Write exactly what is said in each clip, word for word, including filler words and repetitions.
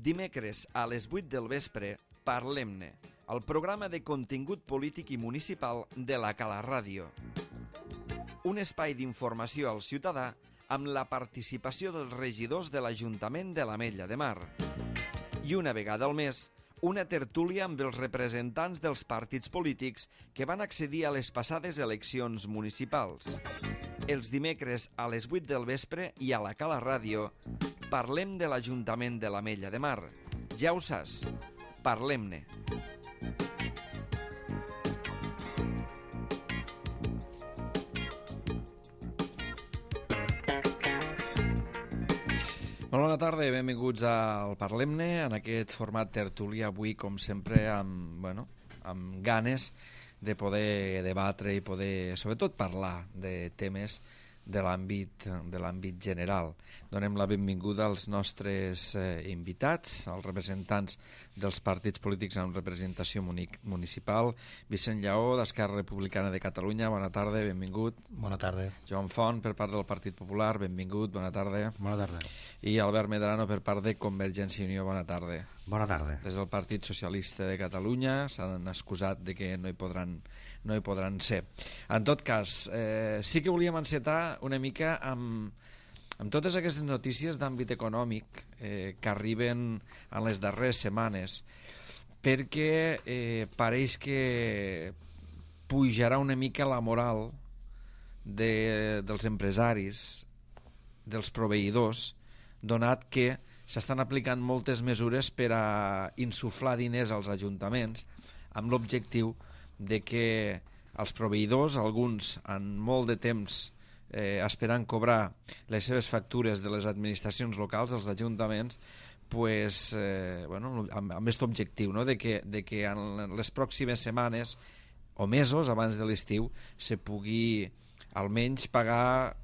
Dimecres a les vuit del vespre, Parlem-ne, el programa de contingut polític i municipal de la Cala Ràdio. Un espai d'informació al ciutadà amb la participació dels regidors de l'Ajuntament de l'Ametlla de Mar. I una vegada al mes, una tertúlia amb els representants dels partits polítics que van accedir a les passades eleccions municipals. Els dimecres a les vuit del vespre i a la Cala Ràdio parlem de l'Ajuntament de l'Ametlla de Mar. Ja ho saps, parlem-ne. Molt bona tarda i benvinguts al Parlem-ne, en aquest format tertúlia avui, com sempre, amb, bueno, amb ganes de poder debatre i poder, sobretot, parlar de temes de l'àmbit de l'àmbit general. Donem la benvinguda als nostres eh, invitats, als representants dels partits polítics amb representació municipal. Vicent Lleó, d'Esquerra Republicana de Catalunya, bona tarda, benvingut. Bona tarda. Joan Font, per part del Partit Popular, benvingut, bona tarda. Bona tarda. I Albert Medrano, per part de Convergència i Unió, bona tarda. Bona tarda. Des del Partit Socialista de Catalunya s'han excusat de que no hi podran no hi podran ser. En tot cas, eh, sí que volíem encetar una mica amb, amb totes aquestes notícies d'àmbit econòmic eh, que arriben en les darreres setmanes, perquè eh, pareix que pujarà una mica la moral de, dels empresaris, dels proveïdors, donat que s'estan aplicant moltes mesures per a insuflar diners als ajuntaments amb l'objectiu de que els proveïdors, alguns en molt de temps eh, esperant cobrar les seves factures de les administracions locals, dels ajuntaments, pues, eh, bueno, amb, amb aquest objectiu, no? de, que, de que en les pròximes setmanes o mesos abans de l'estiu se pugui almenys pagar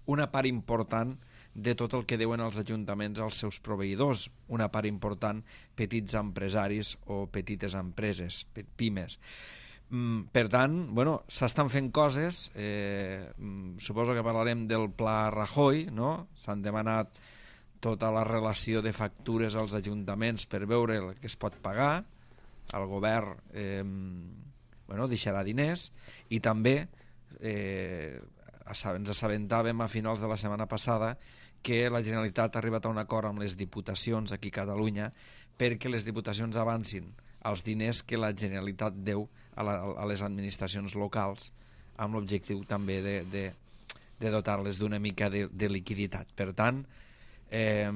una part important de tot el que deuen els ajuntaments als seus proveïdors, una part important petits empresaris o petites empreses, pimes. Per tant, bueno, s'estan fent coses, eh, suposo que parlarem del Pla Rajoy, no? S'han demanat tota la relació de factures als ajuntaments per veure el que es pot pagar, el govern eh, bueno, deixarà diners i també eh, ens assabentàvem a finals de la setmana passada que la Generalitat ha arribat a un acord amb les diputacions aquí a Catalunya perquè les diputacions avancin els diners que la Generalitat deu a, la, a les administracions locals amb l'objectiu també de, de, de dotar-les d'una mica de, de liquiditat. Per tant, eh,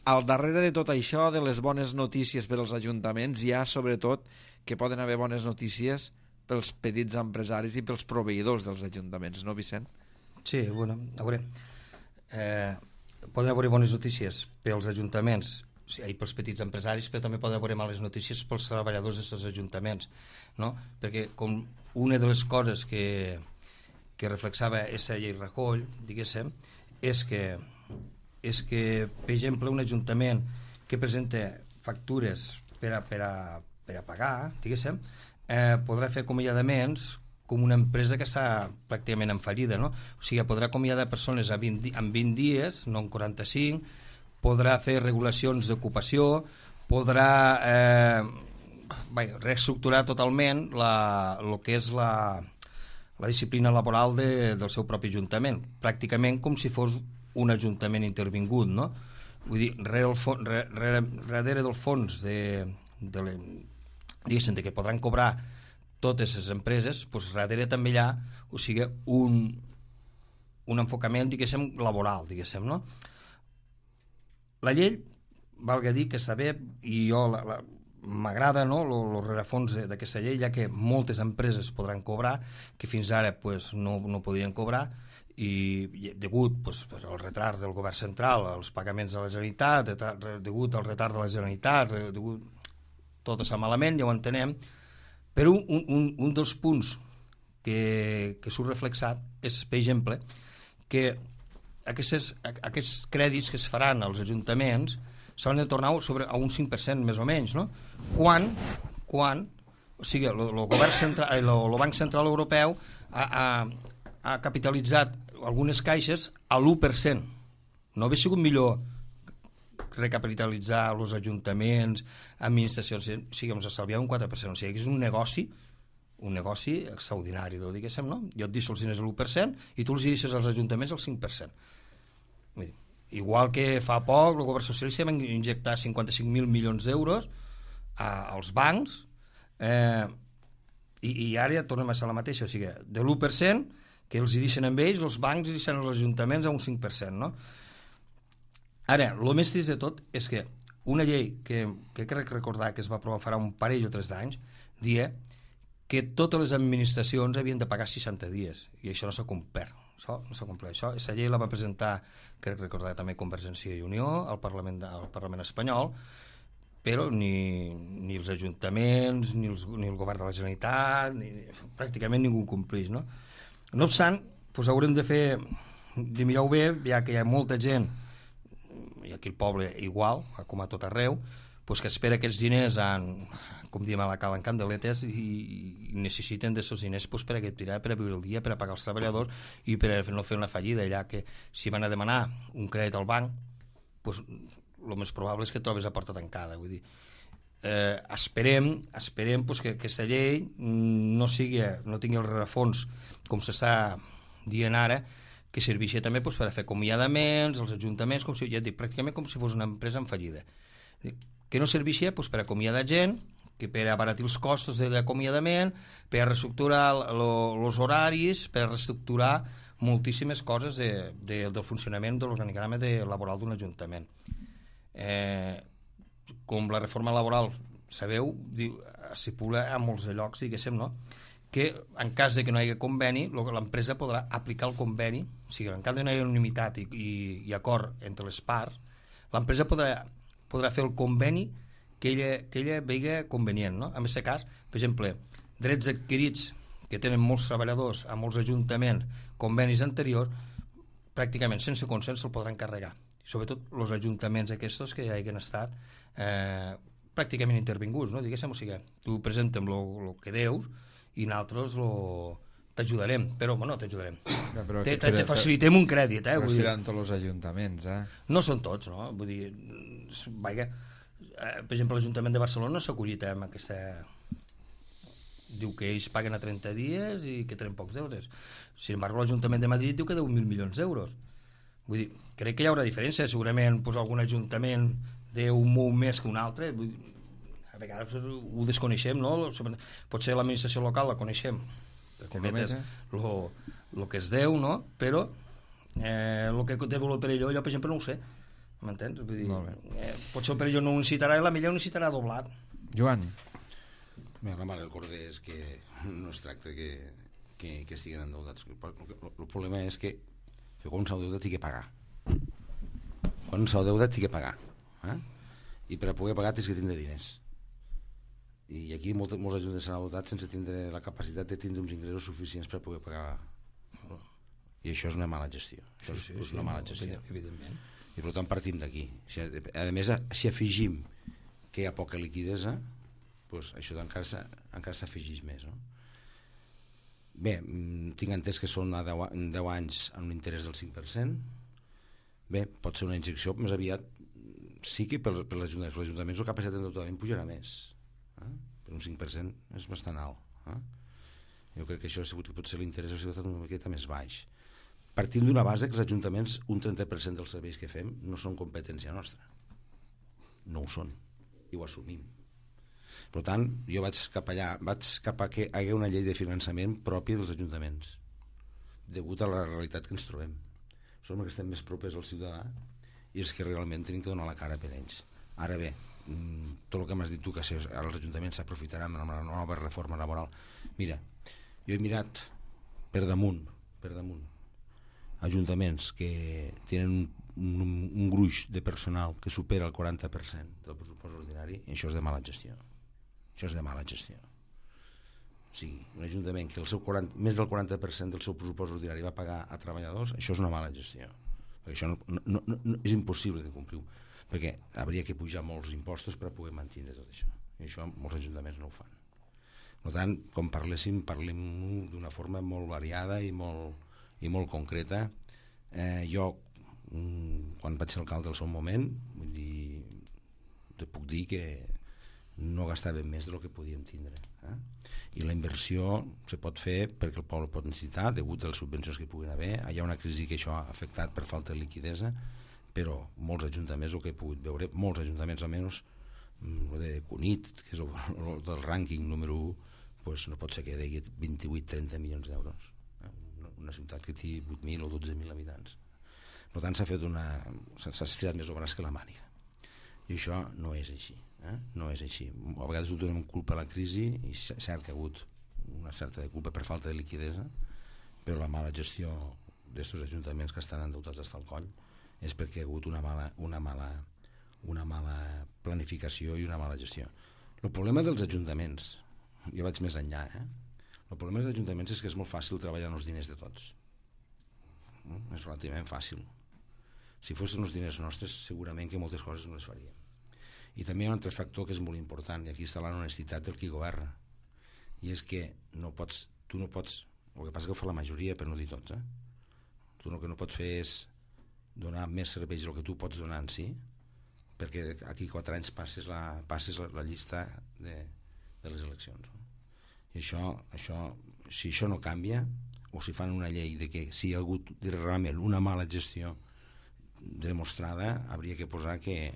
al darrere de tot això, de les bones notícies per als ajuntaments, hi ha sobretot que poden haver bones notícies pels petits empresaris i pels proveïdors dels ajuntaments, no, Vicent? Sí, bueno, a veure, eh, poden haver bones notícies pels ajuntaments i pels petits empresaris, però també poden haver males notícies pels treballadors d'aquests ajuntaments, no? Perquè com una de les coses que, que reflexava aquesta llei Rajoy, diguéssim, és que, és que, per exemple, un ajuntament que presenta factures per a, per a, per a pagar, diguéssim, eh, podrà fer acomiadaments com una empresa que està pràcticament en fallida, no? O sigui, podrà acomiadar persones a vint, en vint dies, no en quaranta-cinc, podrà fer regulacions d'ocupació, podrà eh, bé, reestructurar totalment la, el que és la, la disciplina laboral de, del seu propi ajuntament, pràcticament com si fos un ajuntament intervingut, no? Vull dir, rere, el fons, rere, rere del fons de, de, le, diguéssim, de que podran cobrar totes les empreses, doncs darrere també hi ha, o sigui, un, un enfocament, diguéssim, laboral, diguéssim, no? La llei, valga dir que està bé, i jo m'agrada, no, el rerefons d'aquesta llei, ja que moltes empreses podran cobrar, que fins ara pues, no, no podien cobrar, i degut pues, al retard del govern central, als pagaments de la Generalitat, degut al retard de la Generalitat, degut tot està malament, ja ho entenem, però un, un, un dels punts que, que surt reflexat és, per exemple, que Aquestes, aquests crèdits que es faran als ajuntaments s'han de tornar sobre a un cinc per cent més o menys, no? Quan, quan o sigui, el, el, govern central, el, el Banc Central Europeu ha, ha, ha capitalitzat algunes caixes a l'u per cent. No hauria sigut millor recapitalitzar els ajuntaments, administracions, o sigui, ens estalviava un quatre per cent, o sigui, és un negoci un negoci extraordinari, diguéssim, no? Jo et deixo els diners a l'u per cent i tu els deixes als ajuntaments al cinc per cent. Vull dir, igual que fa poc el govern socialista va injectar cinquanta-cinc mil milions d'euros a, als bancs, eh, i, i ara ja tornem a ser la mateixa, o sigui, de l'u per cent que els hi deixen amb ells, els bancs hi deixen als ajuntaments a un cinc per cent, no? Ara, el més trist de tot és que una llei que, que crec recordar que es va aprovar farà un parell o tres d'anys, dia que totes les administracions havien de pagar seixanta dies, i això no s'ha complert. Això no s'ha complert. Això, aquesta llei la va presentar, crec recordar també Convergència i Unió, al Parlament, al Parlament espanyol, però ni, ni els ajuntaments, ni, els, ni el govern de la Generalitat, ni, pràcticament ningú compleix, no? No obstant, doncs haurem de fer, de mirar-ho bé, ja que hi ha molta gent, i aquí el poble igual, com a tot arreu, doncs que espera aquests diners en, com diem a la cala, en candeletes, i, i necessiten d'aquests diners doncs, per a tirar, per a viure el dia, per a pagar els treballadors i per a no fer una fallida, allà que si van a demanar un crèdit al banc, doncs el més probable és que et trobes a porta tancada. Vull dir, eh, esperem, esperem doncs, que aquesta llei no, sigui, no tingui el rerefons, com s'està dient ara, que serveixi també doncs, per a fer acomiadaments, els ajuntaments, com si, ja dic, pràcticament com si fos una empresa en fallida. Que no serveixi doncs, per acomiadar gent, que per abaratir els costos de l'acomiadament, per a reestructurar els horaris, per a reestructurar moltíssimes coses de, de, del funcionament de l'organigrama de, laboral d'un ajuntament. Eh, com la reforma laboral, sabeu, s'estipula a molts de llocs, diguéssim, no? Que en cas de que no hi hagi conveni, l'empresa podrà aplicar el conveni, o sigui, en cas de no hi hagi unanimitat i, i, i acord entre les parts, l'empresa podrà, podrà fer el conveni que ella, que ella vegi convenient, no? En aquest cas, per exemple, drets adquirits que tenen molts treballadors a molts ajuntaments, convenis anteriors, pràcticament sense consens se'l podran carregar. Sobretot els ajuntaments aquests que ja hagin estat eh, pràcticament intervinguts, no? Diguéssim, o sigui, tu presenta'm el que deus i nosaltres lo... t'ajudarem, però bueno, t'ajudarem. Te, te, te facilitem un crèdit, eh? Però seran tots els ajuntaments, eh? No són tots, no? Vull dir, vaja, per exemple, l'Ajuntament de Barcelona no s'ha acollit amb aquesta... Diu que ells paguen a trenta dies i que tenen pocs deures. Sin embargo, l'Ajuntament de Madrid diu que deu mil milions d'euros. Vull dir, crec que hi haurà diferència. Segurament pues, algun ajuntament deu molt més que un altre. Vull dir, a vegades ho desconeixem, no? Potser l'administració local la coneixem. El que es deu, no? Però eh, el que deu el Perelló, jo, per exemple, no ho sé. M'entens? Vull dir, eh, potser el Perelló no ho necessitarà i la millor ho necessitarà doblat. Joan. Bé, la mare del corder és que no es tracta que, que, que estiguin endeudats. El, el, el problema és que, que quan s'ha endeutat té que pagar. Quan s'ha endeutat té que pagar. Eh? I per a poder pagar tens que tindre diners. I aquí molt, molts ajuntaments s'han endeutat sense tindre la capacitat de tindre uns ingressos suficients per a poder pagar. I això és una mala gestió. Això és, sí, sí, és una sí, mala gestió. Evidentment. I per tant partim d'aquí. A més, si afegim que hi ha poca liquidesa, doncs això encara, encara s'afegeix més, no? Bé, tinc entès que són a deu anys amb un interès del cinc per cent. Bé, pot ser una injecció més aviat, sí que per, per l'Ajuntament, per l'Ajuntament la capacitat d'endeutament pujarà més, eh? Per un cinc per cent és bastant alt, eh? Jo crec que això ha sigut que potser l'interès ha sigut una miqueta més baix. Partint d'una base que els ajuntaments, un trenta per cent dels serveis que fem no són competència nostra. No ho són. I ho assumim. Per tant, jo vaig cap allà, vaig cap a que hi hagi una llei de finançament pròpia dels ajuntaments, degut a la realitat que ens trobem. Som els que estem més propers al ciutadà i els que realment tenim que donar la cara per ells. Ara bé, tot el que m'has dit tu, que els ajuntaments s'aprofitaran amb la nova reforma laboral. Mira, jo he mirat per damunt, per damunt, ajuntaments que tenen un, un, un gruix de personal que supera el quaranta per cent del pressupost ordinari, i això és de mala gestió. Això és de mala gestió. O sigui, un ajuntament que el seu quaranta, més del quaranta per cent del seu pressupost ordinari va pagar a treballadors, això és una mala gestió. Perquè això no, no, no, no, és impossible de complir, perquè hauria que pujar molts impostos per a poder mantenir tot això. I això molts ajuntaments no ho fan. Per tant, quan parléssim, parlem d'una forma molt variada i molt, i molt concreta. Eh, jo, quan vaig ser alcalde al seu moment, vull dir, te puc dir que no gastàvem més del que podíem tindre. Eh? I la inversió se pot fer perquè el poble pot necessitar, degut a les subvencions que puguin haver. Hi ha una crisi que això ha afectat per falta de liquidesa, però molts ajuntaments, el que he pogut veure, molts ajuntaments almenys, el de Cunit, que és el, el del rànquing número u, pues no pot ser que degui vint-i-vuit trenta milions d'euros. Una ciutat que té vuit mil o dotze mil habitants. Per tant, s'ha fet una... s'ha estirat més el braç que la màniga. I això no és així. Eh? No és així. A vegades ho donem culpa a la crisi, i és cert que ha hagut una certa de culpa per falta de liquidesa, però la mala gestió d'estos ajuntaments que estan endeutats fins al coll és perquè hi ha hagut una mala, una mala, una mala planificació i una mala gestió. El problema dels ajuntaments, jo vaig més enllà, eh? el problema dels ajuntaments és que és molt fàcil treballar amb els diners de tots. És relativament fàcil. Si fossin els diners nostres, segurament que moltes coses no les faríem. I també hi ha un altre factor que és molt important, i aquí està l'honestitat del qui governa, i és que no pots, tu no pots, el que passa que ho fa la majoria, per no dir tots, eh? tu el que no pots fer és donar més serveis del que tu pots donar en si, perquè aquí quatre anys passes la, passes la, la llista de, de les eleccions. No? I això, això, si això no canvia, o si fan una llei de que si hi ha hagut realment una mala gestió demostrada, hauria que posar que,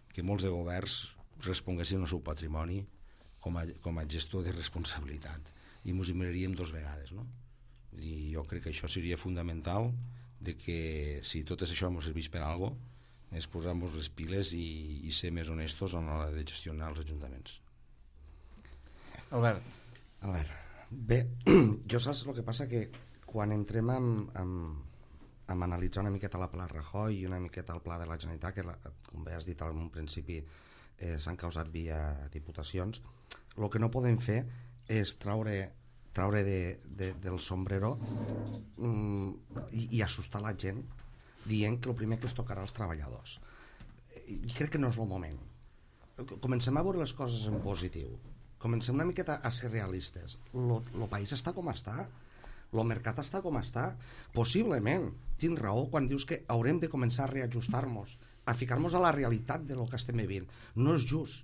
que molts de governs responguessin al seu patrimoni com a, com a gestor de responsabilitat, i ens hi miraríem dos vegades, no? I jo crec que això seria fundamental, de que si tot això ens serveix per alguna cosa, és posar-nos les piles i, i ser més honestos a l'hora de gestionar els ajuntaments. Albert. Albert. Bé, jo saps el que passa, que quan entrem amb, amb, amb analitzar una miqueta la pla Rajoy i una miqueta el pla de la Generalitat, que la, com bé has dit en un principi eh, s'han causat via diputacions, el que no podem fer és traure, traure de, de, del sombrero mm, i, i assustar la gent dient que el primer que es tocarà als treballadors. I crec que no és el moment. Comencem a veure les coses en positiu. Comencem una miqueta a ser realistes. El país està com està, el mercat està com està. Possiblement tens raó quan dius que haurem de començar a reajustar-nos, a ficar-nos a la realitat del que estem vivint. No és just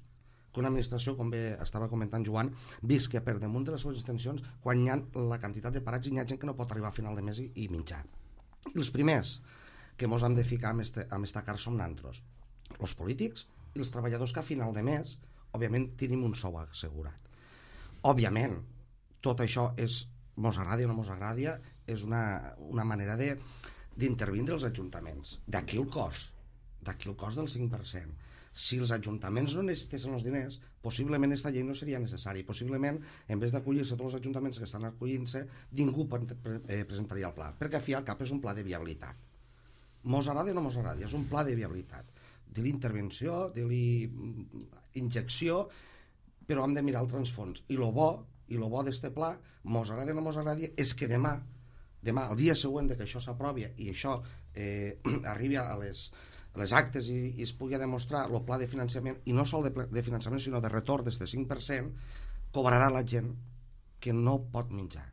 que una administració, com bé estava comentant Joan, visqui per damunt de les seves extensions quan hi ha la quantitat de parats i hi ha gent que no pot arribar a final de mes i, i menjar. I els primers que ens hem de ficar amb, este, amb esta car som nantros, els polítics i els treballadors, que a final de mes òbviament tenim un sou assegurat. Òbviament tot això és, mos agradi o no mos agradi, és una, una manera de d'intervindre els ajuntaments. D'aquí el cost, d'aquí el cost del cinc per cent. Si els ajuntaments no necessitessin els diners, possiblement aquesta llei no seria necessària. Possiblement, en vez d'acollir-se tots els ajuntaments que estan acollint-se, ningú presentaria el pla, perquè al fi al cap és un pla de viabilitat. Mos agradi o no mos agradi, és un pla de viabilitat. Dir-li intervenció, dir-li injecció, però hem de mirar el transfons. I el bo, i el bo d'este pla, mos agradi o no mos agradi, és que demà, demà, el dia següent de que això s'aprovi i això eh, arribi a les, a les actes i, i es pugui demostrar el pla de finançament, i no sol de, de finançament, sinó de retorn d'este cinc per cent, cobrarà la gent que no pot menjar.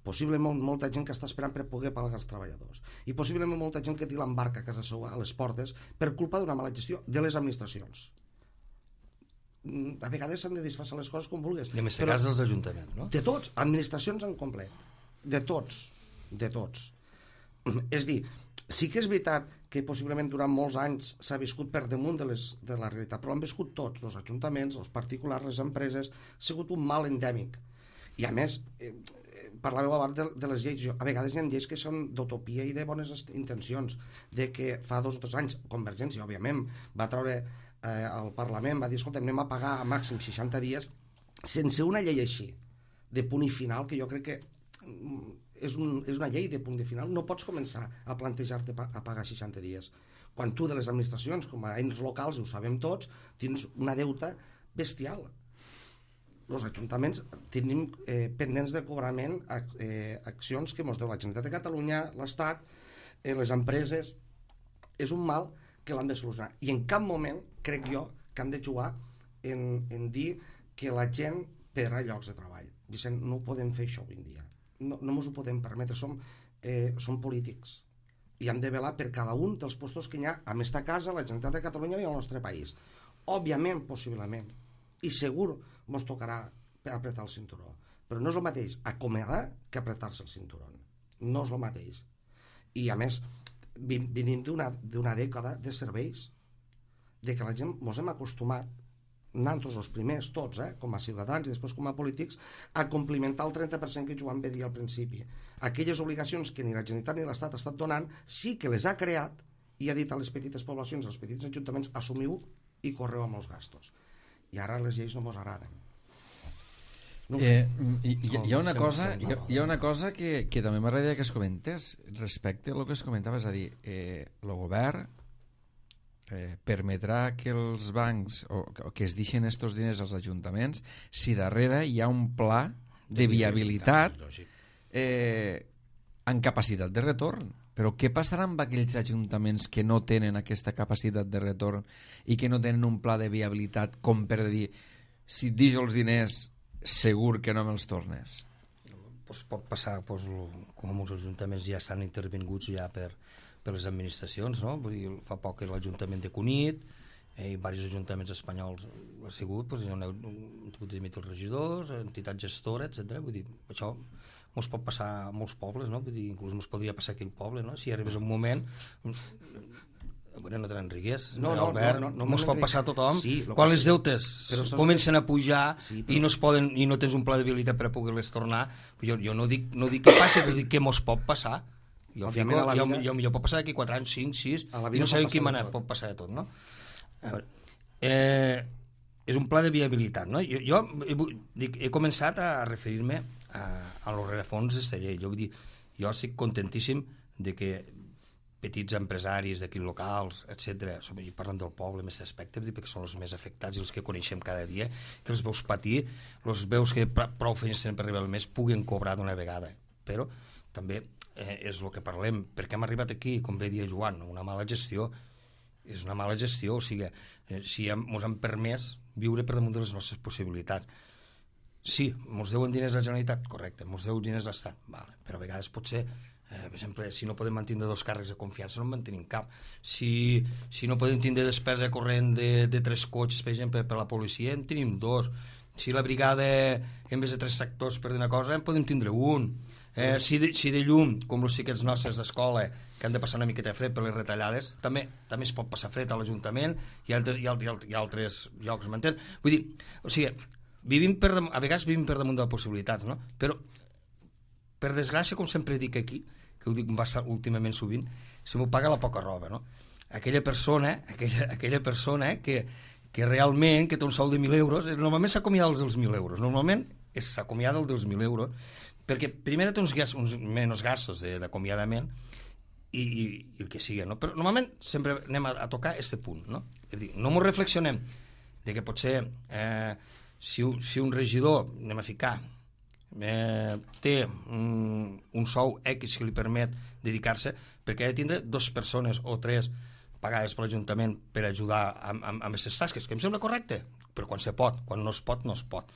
Possiblement molta gent que està esperant per poder pagar els treballadors, i possiblement molta gent que té l'embarca a casa seva a les portes per culpa d'una mala gestió de les administracions. A vegades s'han de disfressar les coses com vulguis. I en aquest cas dels ajuntaments, no? De tots, administracions en complet. De tots, de tots. És dir, sí que és veritat que possiblement durant molts anys s'ha viscut per damunt de, les, de la realitat, però han viscut tots, els ajuntaments, els particulars, les empreses, ha sigut un mal endèmic. I a més, eh, parlàveu abans de, de les lleis, a vegades hi ha lleis que són d'utopia i de bones intencions, de que fa dos o tres anys Convergència, òbviament, va treure eh, al Parlament, va dir, escolta, anem a pagar a màxim seixanta dies, sense una llei així, de punt i final, que jo crec que és, un, és una llei de punt i final. No pots començar a plantejar-te a pagar seixanta dies. Quan tu de les administracions, com a ens locals, ho sabem tots, tens una deuta bestial. Els ajuntaments tenim eh, pendents de cobrament eh, accions que ens deu la Generalitat de Catalunya, l'Estat, eh, les empreses. És un mal que l'han de solucionar. I en cap moment, crec jo, que han de jugar en, en dir que la gent perdrà llocs de treball. Vicent, no ho podem fer això avui en dia. No, no ens ho podem permetre. Som, eh, som polítics. I hem de velar per cada un dels postos que hi ha a aquesta casa, a la Generalitat de Catalunya i al nostre país. òbviament, possiblement, i segur mos tocarà apretar el cinturó, però no és el mateix acomiadar que apretar-se el cinturó, no és el mateix. I a més venim d'una dècada de serveis, de que la gent mos hem acostumat, nosaltres els primers, tots, eh, com a ciutadans i després com a polítics, a complimentar el trenta per cent que Joan va dir al principi. Aquelles obligacions que ni la Generalitat ni l'Estat ha estat donant, sí que les ha creat i ha dit a les petites poblacions, als petits ajuntaments, assumiu i correu amb els gastos. I ara les lleis no mos agraden. No eh, hi, hi, hi ha una cosa, hi ha, hi ha una cosa que, que també m'agradaria que es comentés respecte al que es comentava, és a dir, eh, el govern eh, permetrà que els bancs o, o que es deixen estos diners als ajuntaments si darrere hi ha un pla de viabilitat eh, en capacitat de retorn. Però què passarà amb aquells ajuntaments que no tenen aquesta capacitat de retorn i que no tenen un pla de viabilitat com per dir, si et deixo els diners segur que no me'ls tornes? Pues pot passar, pues, com molts ajuntaments ja estan intervinguts ja per, per les administracions, no? Vull dir, fa poc l'Ajuntament de Cunit eh, i diversos ajuntaments espanyols ha sigut, pues, hi ha hagut de dimitir els regidors, entitats gestores, etcètera. Vull dir, això mos pot passar a molts pobles, no? Vull dir, inclús mos podria passar aquí al poble, no? Si arribés un moment... Bueno, no te n'enrigués, no, no, Albert, no, no, no mos pot passar a tothom. Sí, quan les deutes comencen a pujar sí, però... i, no es poden, i no tens un pla de viabilitat per a poder-les tornar, jo, jo no, dic, no dic que passi, però dic que mos pot passar. Jo, fico, jo, vida... jo, jo pot passar d'aquí quatre anys, cinc, sis, i no sabem quin manera pot passar de tot, no? A veure, eh, és un pla de viabilitat, no? Jo, jo dic, he començat a referir-me a, a los rerefons d'esta llei. Jo vull dir, jo estic contentíssim de que petits empresaris d'aquí locals, etcètera, i parlen del poble en aquest aspecte, perquè són els més afectats i els que coneixem cada dia, que els veus patir, els veus que prou feines tenen per arribar al mes, puguen cobrar d'una vegada. Però també eh, és el que parlem, perquè hem arribat aquí, com bé dia Joan, una mala gestió, és una mala gestió, o sigui, eh, si ens han permès viure per damunt de les nostres possibilitats. Sí, ens deuen diners a la Generalitat, correcte, ens deu diners a l'Estat, vale, però a vegades pot ser... Eh, per exemple, si no podem mantenir dos càrrecs de confiança no en mantenim cap. Si, si no podem tindre despesa corrent de, de tres cotxes, per exemple, per la policia, en tenim dos. Si la brigada, en vez de tres sectors per una cosa, en podem tindre un. Eh, si, de, si de llum, com els xiquets nostres d'escola, que han de passar una miqueta de fred per les retallades, també també es pot passar fred a l'Ajuntament i altres, i altres, i altres llocs, m'entén? Vull dir, o sigui, vivim per, a vegades vivim per damunt de les possibilitats, no? Però, per desgràcia, com sempre dic aquí, que ho dic últimament sovint, se m'ho paga la poca roba, no? Aquella persona, aquella, aquella persona que, que realment, que té un sou de mil euros, normalment s'acomiada dels mil euros, normalment s'acomiada dels mil euros, perquè primer té uns, gas, uns menys gastos d'acomiadament i, i, i el que sigui, no? Però normalment sempre anem a, a tocar aquest punt, no? És dir, no m'ho reflexionem de que potser eh, si, si un regidor, anem a ficar, Eh, té un, un sou X que li permet dedicar-se, perquè ha de tindre dues persones o tres pagades per l'Ajuntament per ajudar amb, amb, amb aquestes tasques, que em sembla correcte, però quan se pot, quan no es pot, no es pot.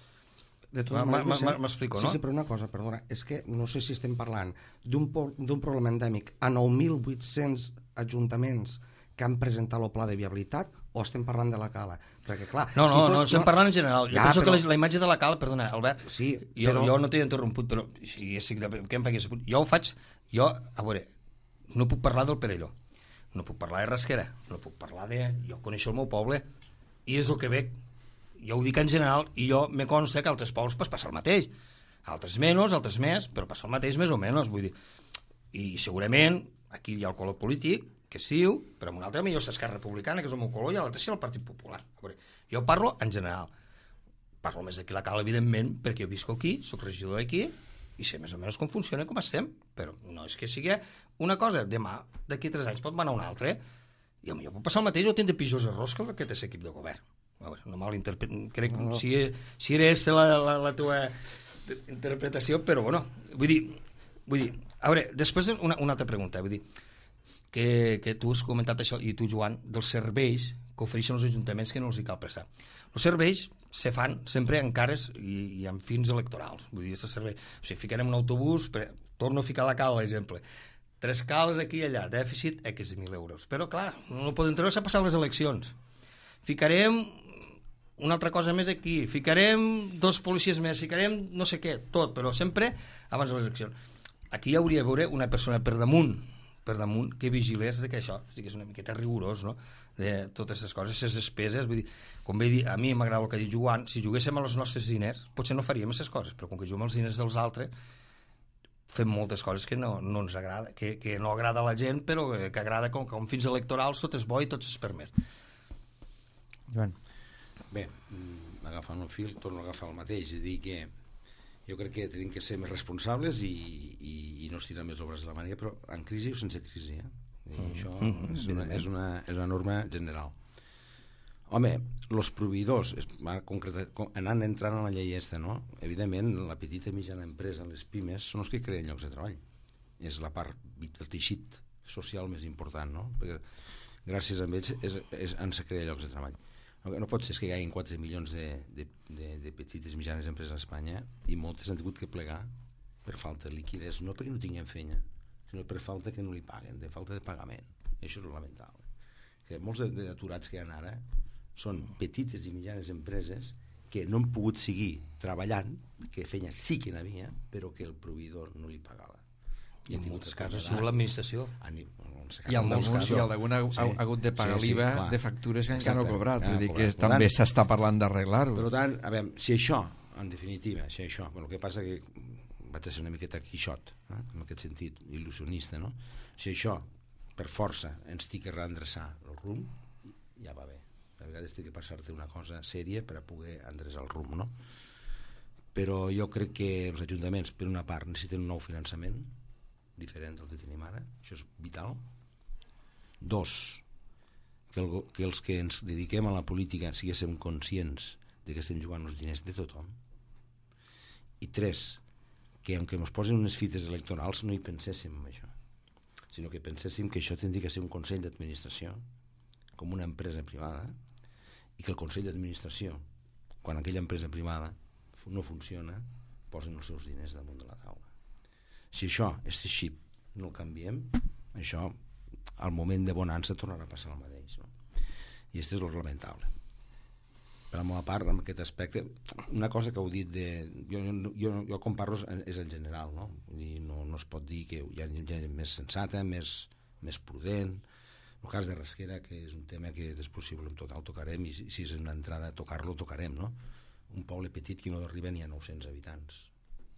M'explico, no? Sí, sí, però una cosa, perdona, és que no sé si estem parlant d'un problema endèmic a nou mil vuit-cents ajuntaments que han presentat el pla de viabilitat o estem parlant de la Cala? Perquè, clar... No, no, si fos, no, estem no... parlant en general. Jo ja, penso però... que la, la imatge de la Cala, perdona, Albert, sí, jo, però... jo no t'he interromput, però si, si, què em faig? Jo ho faig, jo, a veure, no puc parlar del Perelló, no puc parlar de Rasquera, no puc parlar de... Jo coneixo el meu poble i és el que veig, jo ho dic en general, i jo me consta que altres pobles pues, passa el mateix, altres menys, altres més, però passa el mateix més o menys, vull dir, i segurament aquí hi ha el color polític, que es diu, però amb un altre millor és Esquerra Republicana, que és el meu color, i l'altre és el Partit Popular. A veure, jo parlo en general. Parlo més d'aquí la Cala, evidentment, perquè jo visco aquí, soc regidor d'aquí, i sé més o menys com funciona i com estem, però no és que sigui una cosa, demà, d'aquí tres anys pot anar una altra, i a mi pot passar el mateix o tindre pitjors errors que aquest equip de govern. A veure, no mal interpreto, crec que si, si era aquesta la, la, la teva interpretació, però bueno, vull dir, vull dir, a veure, després una, una altra pregunta, vull dir, Que, que tu has comentat això, i tu, Joan, dels serveis que ofereixen els ajuntaments que no els hi cal prestar. Els serveis se fan sempre en cares i, i amb fins electorals. Vull dir, servei, o sigui, ficarem un autobús, per, torno a ficar la Cala, l'exemple, tres cales aquí i allà, dèficit X de mil euros. Però, clar, no podem treure-se a passar les eleccions. Ficarem una altra cosa més aquí, ficarem dos policies més, ficarem no sé què, tot, però sempre abans de les eleccions. Aquí hi hauria de veure una persona per damunt, per damunt, que vigilés de que això és una miqueta rigorós, no?, de totes aquestes coses, aquestes despeses. Vull dir, com bé dir, a mi m'agrada el que diu Joan, si juguéssim a els nostres diners, potser no faríem aquestes coses, però com que juguem als diners dels altres, fem moltes coses que no, no ens agrada, que, que no agrada a la gent, però que, que agrada com, com fins electorals, tot és bo i tot és permès. Joan. Bé, agafant el fil, torno a agafar el mateix, i dir que jo crec que tenim que ser més responsables i, i, i no estirar més obres de la màniga, però en crisi o sense crisi, eh? I mm. això mm, és, una, és, una, és una norma general. Home, els proveïdors, anant entrant a la llei aquesta, no? Evidentment, la petita i mitjana empresa, les pimes, són els que creen llocs de treball. És la part del teixit social més important, no? Perquè gràcies a ells és, és, han de crear llocs de treball. No, no pot ser que hi hagi quatre milions de, de, de, de petites i mitjanes empreses a Espanya i moltes han tingut que plegar per falta de liquiditat, no perquè no tinguem feina, sinó per falta que no li paguen, de falta de pagament. Això és lamentable. Que molts d'aturats que hi ha ara són petites i mitjanes empreses que no han pogut seguir treballant, que feina sí que n'havia, però que el proveïdor no li pagava. I en molts casos ha sigut l'administració. I el d'algun ha hagut de pagar l'I V A de factures que encara no ha cobrat. Vull dir que també s'està parlant d'arreglar-ho. Per tant, a veure, si això, en definitiva, si això, el que passa que vaig a ser una miqueta quixot, eh? En aquest sentit, il·lusionista, no? Si això, per força, ens té que reendreçar el rumb, ja va bé. A vegades té que passar-te una cosa sèria per a poder endreçar el rumb, no? Però jo crec que els ajuntaments, per una part, necessiten un nou finançament diferent del que tenim ara, això és vital. Dos, que, el, que els que ens dediquem a la política siguéssim conscients de que estem jugant els diners de tothom. I tres, que aunque ens posen unes fites electorals no hi penséssim en això, sinó que penséssim que això tindria que ser un consell d'administració com una empresa privada i que el consell d'administració, quan aquella empresa privada no funciona, posen els seus diners damunt de la taula. Si això, aquest xip, no el canviem, això, al moment de bonança tornarà a passar el mateix, no? I aquest és el lamentable. Per la meva part, en aquest aspecte, una cosa que heu dit de... Jo, jo, jo com parlo és en general, no? I no, no es pot dir que hi ha gent més sensata, més, més prudent. El cas de Rasquera, que és un tema que després si volem tocar, el tocarem, i si, si és una entrada a tocar-lo, tocarem, no? Un poble petit que no arriba ni a nou-cents habitants,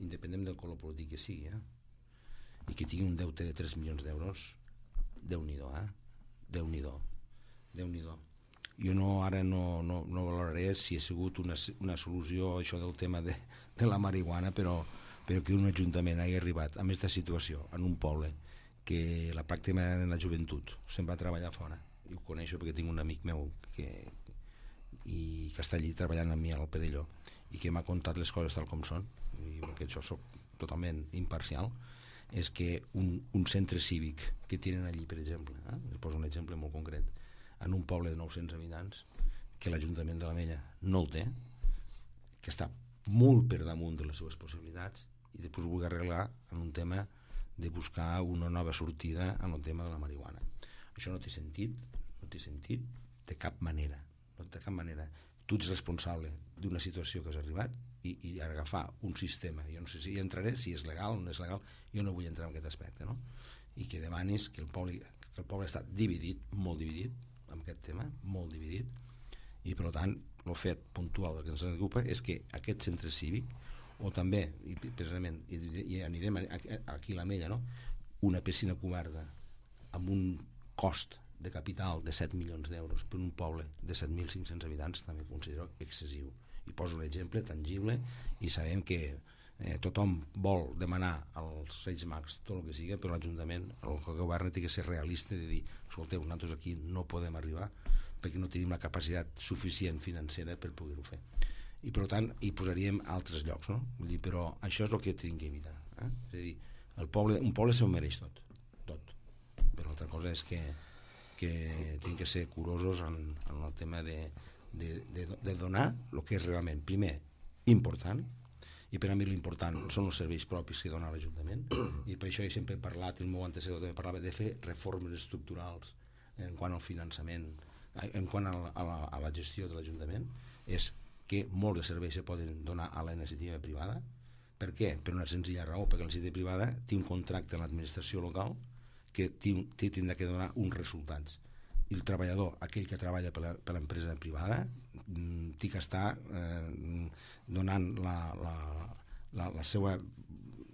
independent del color polític que sigui, eh? I que tingui un deute de tres milions d'euros, Déu-n'hi-do, eh? Déu-n'hi-do, Déu-n'hi-do. Jo no, ara no, no, no valoraré si ha sigut una, una solució això del tema de, de la marihuana, però, però que un ajuntament hagi arribat a aquesta situació en un poble que la pràctica de la joventut se'n va treballar fora, i ho coneixo perquè tinc un amic meu que, i que està allí treballant amb mi al Perelló i que m'ha contat les coses tal com són, i perquè jo soc totalment imparcial, és que un, un centre cívic que tenen allí, per exemple, eh? us poso un exemple molt concret, en un poble de nou-cents habitants, que l'Ajuntament de la Mella no el té, que està molt per damunt de les seves possibilitats, i després ho vull arreglar en un tema de buscar una nova sortida en el tema de la marihuana. Això no té sentit, no té sentit de cap manera, no de cap manera. Tu ets responsable d'una situació que has arribat i, i agafar un sistema, jo no sé si hi entraré, si és legal o no és legal, jo no vull entrar en aquest aspecte, no? I que demanis que el poble, que el poble està dividit, molt dividit, amb aquest tema, molt dividit, i per tant el fet puntual que ens ocupa és que aquest centre cívic, o també, i precisament, i, i anirem aquí a la Mella, no? Una piscina coberta amb un cost de capital de set milions d'euros per un poble de set mil cinc-cents habitants també considero excessiu. I poso un exemple tangible i sabem que eh, tothom vol demanar als Reis Mags tot el que sigui, però l'Ajuntament, el govern té que ser realista de dir, escolteu, nosaltres aquí no podem arribar perquè no tenim la capacitat suficient financera per poder-ho fer. I per tant hi posaríem altres llocs, no? Vull dir, però això és el que tenim que evitar, eh? És a dir, el poble, un poble s'ho mereix tot, tot. Però l'altra cosa és que que tenim que ser curosos en, en el tema de, de, de, de donar el que és realment, primer, important, i per a mi l'important són els serveis propis que dona l'Ajuntament, i per això he sempre parlat, el meu antecedor també parlava de fer reformes estructurals en quant al finançament en quant a la, a la, a la gestió de l'Ajuntament és que molts de serveis se poden donar a la iniciativa privada. Per què? Per una senzilla raó, perquè la iniciativa privada té un contracte amb l'administració local que té tindrà que donar uns resultats, i el treballador, aquell que treballa per l'empresa privada, té que estar eh, donant la, la, la, la, seva,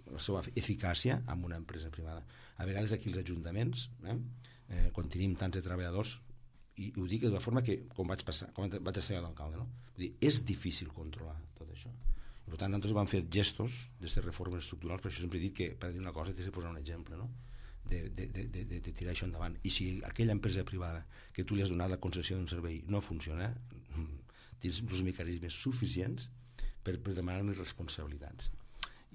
la seva eficàcia amb una empresa privada. A vegades aquí els ajuntaments, eh, eh, quan tenim tants de treballadors, i ho dic de la forma que, com vaig passar, com vaig ser d'alcalde, no? Vull dir, és difícil controlar tot això. I per tant, nosaltres vam fer gestos d'aquestes reformes estructurals, per això sempre he dit que, per dir una cosa, tens de posar un exemple, no? De, de, de, de, de tirar això endavant. I si aquella empresa privada que tu li has donat la concessió d'un servei no funciona, tens els mecanismes suficients per, per demanar-li responsabilitats.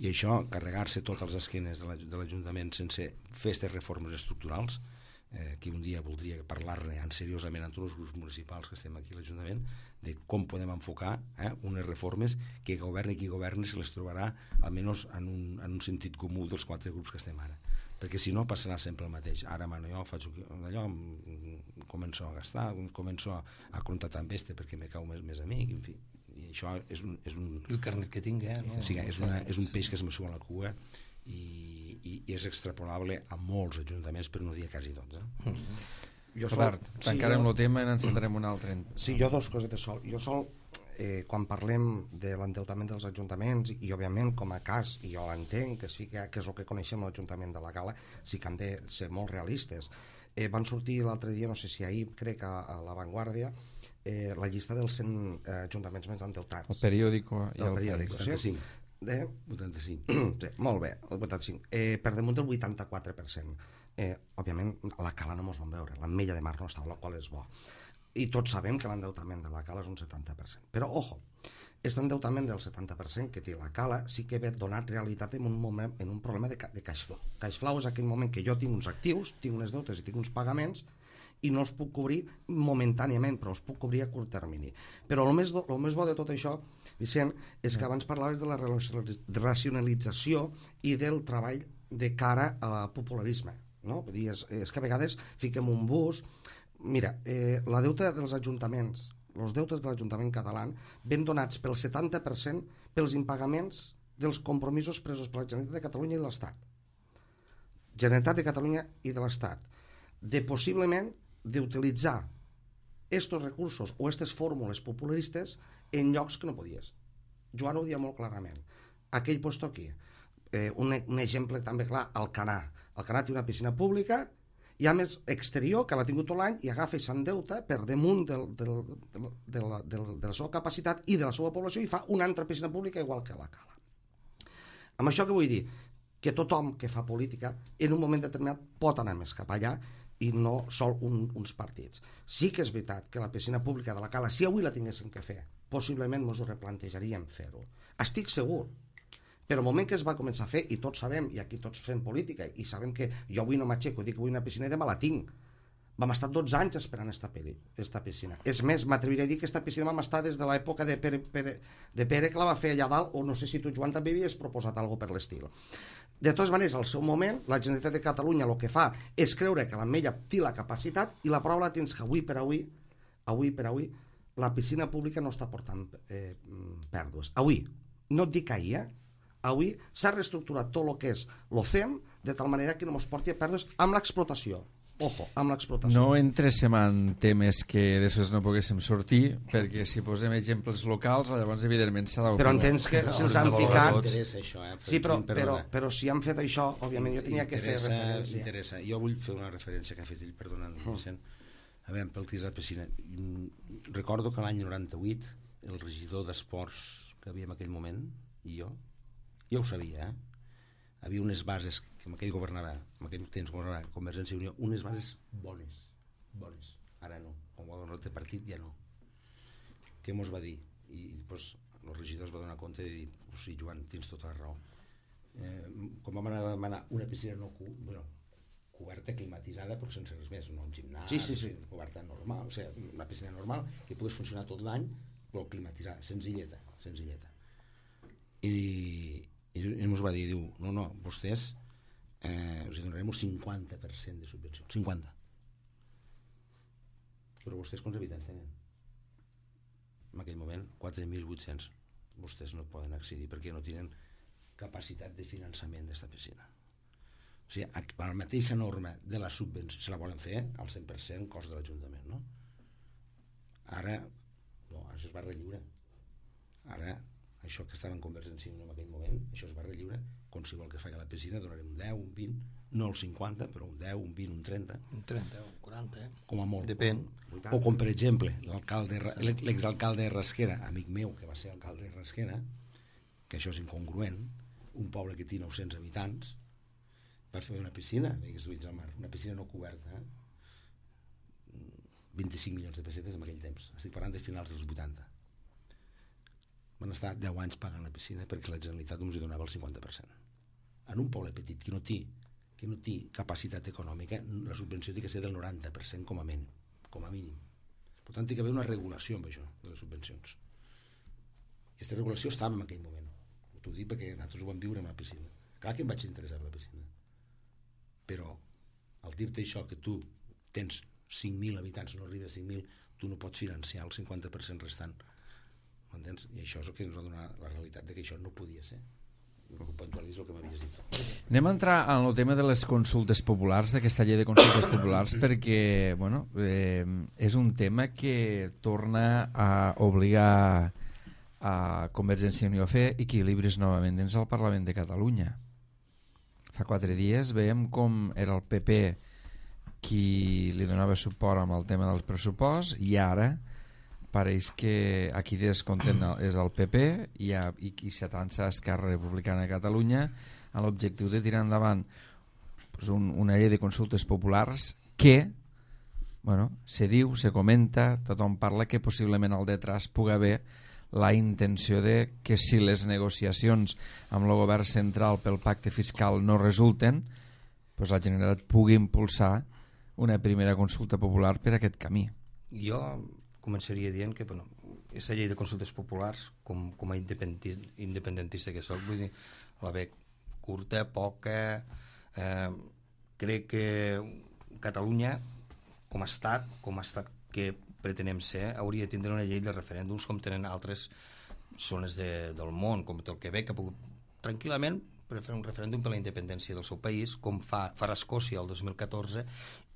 I això, carregar-se tots els esquenes de l'Ajuntament sense fer aquestes reformes estructurals, eh, que un dia voldria parlar-ne seriosament amb tots els grups municipals que estem aquí a l'Ajuntament, de com podem enfocar eh, unes reformes que governi qui governi se les trobarà almenys en un, en un sentit comú dels quatre grups que estem ara, perquè si no passarà sempre el mateix. Ara mano jo, faig allò, començo a gastar, començo a contractar amb este perquè me cau més, més amic, en fi. I això és un... És un el carnet que tingui, eh? No? O sigui, és, una, és un peix que es mesura a la cua i, i, i és extrapolable a molts ajuntaments, per no dir quasi tots. Eh? Mm. Jo sol, tancarem sí, el tema i n'encentarem un altre. Sí, jo dos cosetes sol. Jo sol, eh, quan parlem de l'endeutament dels ajuntaments, i òbviament com a cas, i jo l'entenc, que sí que, que és el que coneixem l'Ajuntament de la Cala, sí que hem de ser molt realistes. Eh, van sortir l'altre dia, no sé si ahir, crec a, a La Vanguardia, eh, la llista dels cent eh, ajuntaments més endeutats. El periòdico i el, el periòdico, sí? De... vuitanta-cinc. Sí, molt bé, el vuitanta-cinc. Eh, per damunt del vuitanta-quatre per cent. Eh, òbviament, a la Cala no mos van veure, l'Ametlla de Mar no estava, la qual és bo. I tots sabem que l'endeutament de la Cala és un setanta per cent. Però, ojo, aquest endeutament del setanta per cent que té la Cala sí que ve donat realitat en un, moment, en un problema de, de cash flow. Cash flow és aquell moment que jo tinc uns actius, tinc unes deutes i tinc uns pagaments i no els puc cobrir momentàniament, però els puc cobrir a curt termini. Però el més, el més bo de tot això, Vicent, és que abans parlaves de la racionalització i del treball de cara al popularisme. No? Vull dir, és, és que a vegades fiquem un bus. Mira, eh, la deuta dels ajuntaments, els deutes de l'Ajuntament català ven donats pel setanta per cent pels impagaments dels compromisos presos per la Generalitat de Catalunya i l'Estat. Generalitat de Catalunya i de l'Estat. De possiblement d'utilitzar estos recursos o aquestes fórmules popularistes en llocs que no podies. Joan ho dia molt clarament. Aquell posto aquí. Eh, un, un exemple també clar, Alcanar. Alcanar té una piscina pública i a més exterior, que l'ha tingut tot l'any, i agafa i s'endeuta per damunt del, del, del, de, la, del, de la seva capacitat i de la seva població i fa una altra piscina pública igual que la Cala. Amb això què vull dir? Que tothom que fa política en un moment determinat pot anar més cap allà i no sol un, uns partits. Sí que és veritat que la piscina pública de la Cala, si avui la tinguéssim que fer, possiblement ens ho replantejaríem fer-ho. Estic segur. Però el moment que es va començar a fer, i tots sabem, i aquí tots fem política, i sabem que jo avui no m'aixeco, dic que vull una piscina i demà la tinc. Vam estar dotze anys esperant esta, peli, esta piscina. És més, m'atreviré a dir que esta piscina vam estar des de l'època de Pere, Pere, de Pere que la va fer allà dalt, o no sé si tu, Joan, també havies proposat alguna per l'estil. De totes maneres, al seu moment, la Generalitat de Catalunya el que fa és creure que l'Ametlla té la capacitat i la prova la tens que avui per avui, avui per avui, la piscina pública no està portant eh, pèrdues. Avui, no et dic ahir, eh? Avui s'ha reestructurat tot el que és l'OCEM de tal manera que no ens porti a pèrdues amb l'explotació. Ojo, amb l'explotació. No entréssim en temes que després no poguéssim sortir, perquè si posem exemples locals, llavors evidentment s'ha d'opinar. Però entens que si els han ficat... Això, eh? Sí, però, però, però si han fet això, òbviament jo tenia que fer referència. Interessa. Jo vull fer una referència que ha fet ell, perdona, Vicent. A veure, pel que és la piscina. Recordo que l'any noranta-vuit el regidor d'Esports que havia en aquell moment, i jo, jo ho sabia, eh? Havia unes bases que en aquell governava, en aquell temps governava Convergència i Unió, unes bases bones, bones. Ara no, com va donar el partit ja no. Què mos va dir? I doncs el regidor es va donar compte de dir, oh, sí, Joan, tens tota la raó. Eh, com vam anar a demanar una piscina no cu bueno, coberta, climatitzada, però sense res més, no un gimnàs, sí, sí, sí. coberta normal, o sigui, una piscina normal que pogués funcionar tot l'any, però climatitzada, senzilleta, senzilleta. I i ens va dir, diu, no, no, vostès eh, us donarem un cinquanta per cent de subvenció, cinquanta. Però vostès quants habitants tenen? En aquell moment, quatre mil vuit-cents. Vostès no poden accedir perquè no tenen capacitat de finançament d'esta piscina. O sigui, per la mateixa norma de la subvenció, se la volen fer al cent per cent cost de l'Ajuntament, no? Ara, no, això es va relliure. Ara, això que estava en Convergència i Unió en aquell moment, això es va relliure. Qualsevol que faci la piscina donarem un deu, un vint, no el cinquanta, però un deu, un vint, un trenta. Un trenta, un quaranta, eh? Com a molt. Depèn. O com, per exemple, l'alcalde, l'exalcalde de Rasquera, amic meu, que va ser alcalde de Rasquera, que això és incongruent, un poble que té nou-cents habitants, va fer una piscina, veigues ulls al mar, una piscina no coberta, eh? vint-i-cinc milions de pessetes en aquell temps. Estic parlant de finals dels vuitanta. Van estar deu anys pagant la piscina perquè la Generalitat només hi donava el cinquanta per cent. En un poble petit que no té, que no té capacitat econòmica, la subvenció té que ser del noranta per cent com a mínim. Com a mínim. Per tant, té que haver una regulació amb això, de les subvencions. Aquesta regulació estava en aquell moment. T'ho dic perquè nosaltres ho vam viure en la piscina. Clar que em vaig interessar per la piscina. Però, al dir-te això, que tu tens cinc mil habitants, no arriba a cinc mil, tu no pots financiar el cinquanta per cent restant. M'entens? I això és el que ens va donar la realitat de que això no podia ser. El que puntualitzo el que m'havies dit. Anem a entrar en el tema de les consultes populars, d'aquesta llei de consultes populars, perquè bueno, eh, és un tema que torna a obligar a Convergència i Unió a fer equilibris novament dins del Parlament de Catalunya. Fa quatre dies veiem com era el P P qui li donava suport amb el tema del pressupost i ara pareix que aquí descontent és el P P i, ha, i qui s'atança a Esquerra Republicana de Catalunya amb l'objectiu de tirar endavant pues, un, una llei de consultes populars que bueno, se diu, se comenta, tothom parla que possiblement al detrás pugui haver la intenció de que si les negociacions amb el govern central pel pacte fiscal no resulten, pues la Generalitat pugui impulsar una primera consulta popular per aquest camí. Jo començaria dient que bueno, aquesta llei de consultes populars, com, com a independentista que soc, vull dir, la veig curta, poca, eh, crec que Catalunya, com a estat, com a estat que pretenem ser, hauria de tindre una llei de referèndums com tenen altres zones de, del món, com el Quebec, que ha pogut tranquil·lament per fer un referèndum per la independència del seu país, com fa, fa Escòcia el dos mil catorze,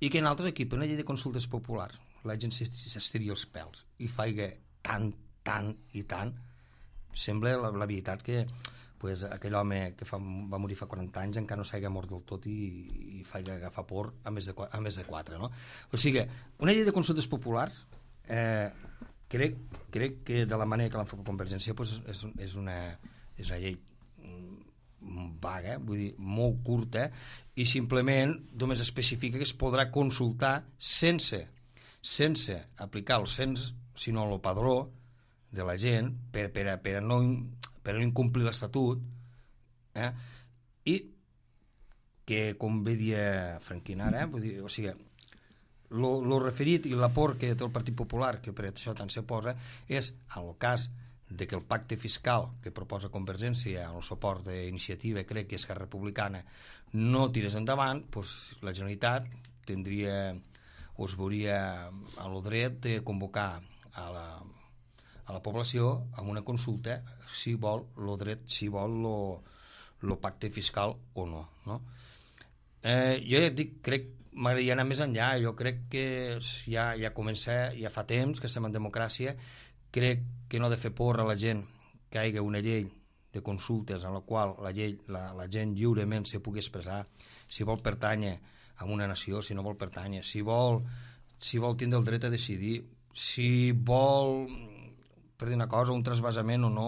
i que en altres equips, una llei de consultes populars, la gent s'estiri els pèls i faiga tant, tant i tant, sembla la, la veritat que pues, aquell home que fa, va morir fa quaranta anys encara no s'hagi mort del tot i, i faiga agafar por a més de, a més de quatre, no? O sigui, una llei de consultes populars eh, crec, crec que de la manera que l'han fet Convergència pues, és, és, una, és una llei vaga, vull dir, molt curta i simplement només especifica que es podrà consultar sense sense aplicar el cens, sinó el padró de la gent per, per, a, per, a, no, per a no incomplir l'Estatut eh? I que, com bé dia Franquín ara, vull dir, o sigui, lo, lo referit i l'aport que té el Partit Popular, que per això tant se posa, és, en el cas de que el pacte fiscal que proposa Convergència amb el suport d'Iniciativa, crec que és Esquerra Republicana, no tirés endavant, doncs la Generalitat tindria o es veuria a lo dret de convocar a la, a la població amb una consulta si vol lo dret, si vol lo, lo pacte fiscal o no, no? Eh, jo ja et dic, crec m'agradaria anar més enllà, jo crec que ja, ja comença, ja fa temps que estem en democràcia, crec que no ha de fer por a la gent que hi hagi una llei de consultes en la qual la, llei, la, la gent lliurement se pugui expressar si vol pertànyer a una nació, si no vol pertànyer, si vol, si vol tindre el dret a decidir, si vol, per dir una cosa, un trasbasament o no,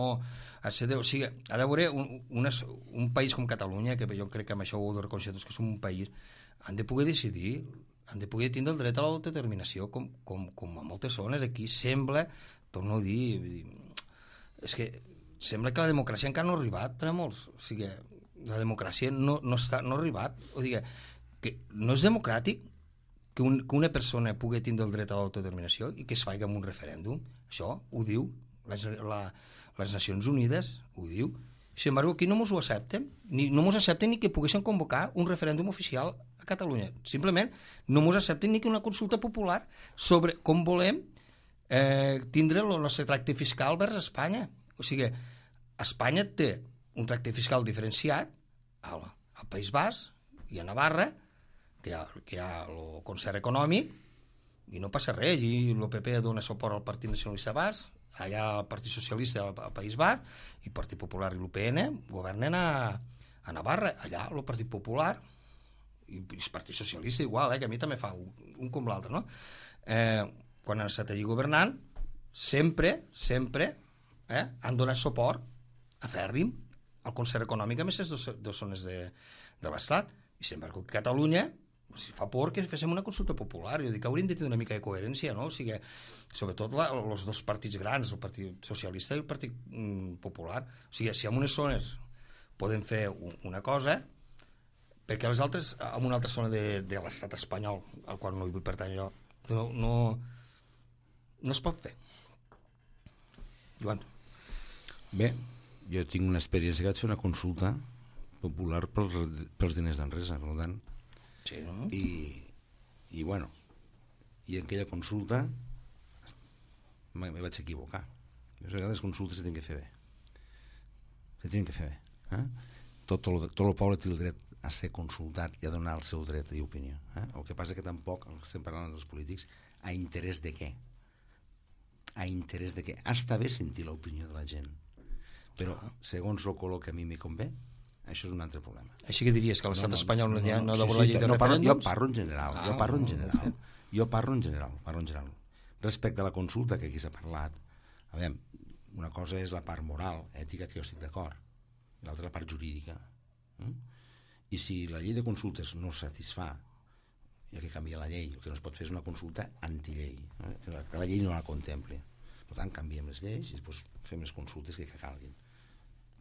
de, o sigui, ha d'haver un, un, un país com Catalunya, que jo crec que amb això ho heu de reconèixer tots, que som un país, han de poder decidir, han de poder tindre el dret a l'autodeterminació, com, com, com a moltes zones. Aquí sembla, torno a dir, dir, és que sembla que la democràcia encara no ha arribat per a molts, o sigui, la democràcia no, no, està, no ha arribat, o sigui, que no és democràtic que, un, que una persona pugui tindre el dret a l'autodeterminació i que es faci amb un referèndum. Això ho diu la, la, les Nacions Unides, ho diu, Sin embargo, aquí no mos ho accepten, ni, no mos accepten ni que poguessin convocar un referèndum oficial a Catalunya. Simplement, no mos accepten ni que una consulta popular sobre com volem eh, tindre el nostre tracte fiscal vers Espanya. O sigui, Espanya té un tracte fiscal diferenciat al, al País Basc i a Navarra, que hi ha, que hi ha el concert econòmic, i no passa res, i el P P dona suport al Partit Nacionalista Basc, allà el Partit Socialista al País Basc, i el Partit Popular i l'U P N governen a, a Navarra, allà el Partit Popular i el Partit Socialista igual, eh, que a mi també fa un, un com l'altre, no? Eh, quan han estat allí governant, sempre, sempre eh, han donat suport a fèrrim al concert econòmic a aquestes dues, dues zones de, de l'Estat, i sin embargo que Catalunya si fa por que féssim una consulta popular. Jo dic que hauríem de tenir una mica de coherència, no? O sigui, sobretot la, els dos partits grans, el Partit Socialista i el Partit mm, Popular. O sigui, si en unes zones podem fer un, una cosa, perquè les altres, en una altra zona de, de l'estat espanyol, al qual no hi vull pertany jo, no, no, no es pot fer. Joan. Bé, jo tinc una experiència que vaig fer una consulta popular pels, pels diners d'Enresa, per tant. Sí, no? I, i bueno, i en aquella consulta me, me vaig equivocar. A vegades les consultes se tenen que fer bé. Se tenen que fer bé. Eh? Tot, el, tot el poble té el dret a ser consultat i a donar el seu dret i opinió. Eh? El que passa que tampoc, estem parlant dels polítics, a interès de què? A interès de què? Està bé sentir l'opinió de la gent, però segons el color que a mi me convé, això és un altre problema. Així que diries que l'estat no, no, espanyol no, no, no, no sí, deu sí, la llei de no, referèndums? Jo parlo en general, ah, jo parlo en general. No, no, jo parlo en general, parlo en general. Respecte a la consulta que aquí s'ha parlat, a veure, una cosa és la part moral, ètica, que jo estic d'acord, i l'altra la part jurídica. Mm? I si la llei de consultes no satisfà, hi ha que canviar la llei, el que no es pot fer és una consulta antillei, eh? que la llei no la contempli. Per tant, canviem les lleis i després fem les consultes que calguin.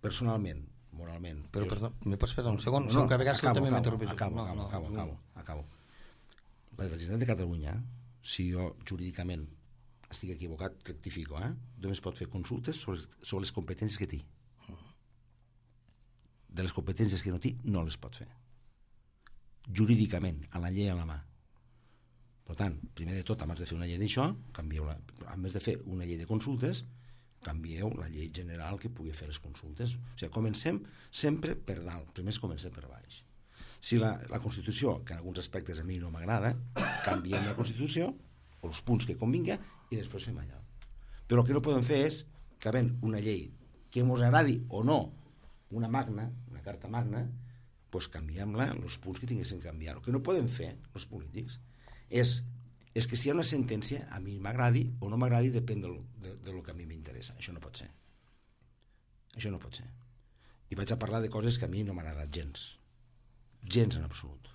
Personalment, moralment... Però, jo... perdó, me pots fer un segon? No, no, que a vegades acabo, també acabo, m'interrompis. acabo, no, acabo, no, acabo, no. acabo, acabo. La Generalitat de Catalunya, si jo jurídicament estic equivocat, rectifico, eh? Només pot fer consultes sobre, sobre les competències que té. De les competències que no té, no les pot fer. Jurídicament, a la llei a la mà. Per tant, primer de tot, abans de fer una llei d'això, canvieu-la. A més de fer una llei de consultes, canvieu la llei general que pugui fer les consultes. O sigui, comencem sempre per dalt, primer comencem per baix. Si la, la Constitució, que en alguns aspectes a mi no m'agrada, canviem la Constitució, o els punts que convinga, i després fem allò. Però el que no podem fer és que havent una llei que ens agradi o no, una magna, una carta magna, doncs canviem-la, els punts que tinguessin que canviar. El que no podem fer, els polítics, és és que si hi ha una sentència, a mi m'agradi o no m'agradi, depèn del, de, de lo que a mi m'interessa. Això no pot ser. Això no pot ser. I vaig a parlar de coses que a mi no m'han agradat gens. Gens en absolut.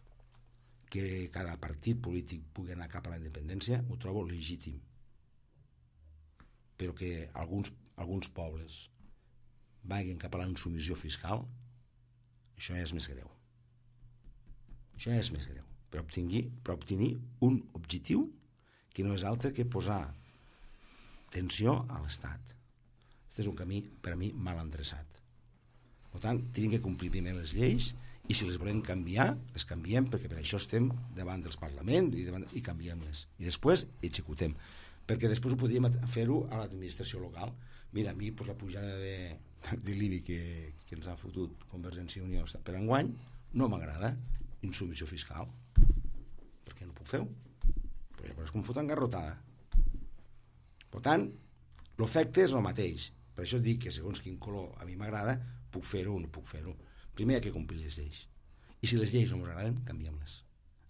Que cada partit polític pugui anar cap a la independència, ho trobo legítim. Però que alguns, alguns pobles vagin cap a la insumissió fiscal, això ja és més greu. Això ja és més greu. Per obtenir, per obtenir un objectiu que no és altre que posar tensió a l'Estat. Aquest és un camí, per a mi, mal endreçat. Per tant, tenim que complir primer les lleis i si les volem canviar, les canviem perquè per això estem davant dels parlaments i, davant, i canviem-les. I després executem. Perquè després ho podríem fer-ho a l'administració local. Mira, a mi per la pujada de, de l'I B I que, que ens ha fotut Convergència i Unió per enguany no m'agrada. Insubmissió fiscal. Per què no puc fer-ho? Però llavors com foten garrotada. Per tant, l'efecte és el mateix. Per això dic que segons quin color a mi m'agrada, puc fer-ho o no puc fer-ho. Primer hi ha que complir les lleis. I si les lleis no ens agraden, canviem-les.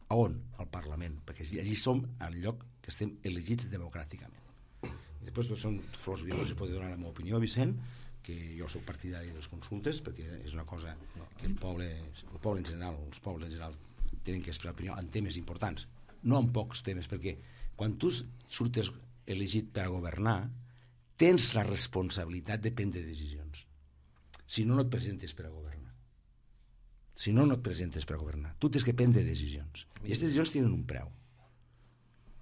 A on? Al Parlament. Perquè allí som al lloc que estem elegits democràticament. I després tot són flors violes, i pot donar la meva opinió, Vicent, que jo soc partidari de les consultes perquè és una cosa que el poble, el poble en general, els pobles en general tenen que expressar opinió en temes importants, no en pocs temes, perquè quan tu surtes elegit per a governar tens la responsabilitat de prendre decisions. Si no, no et presentes per a governar. Si no, no et presentes per a governar. Tu tens que prendre decisions. I aquestes decisions tenen un preu.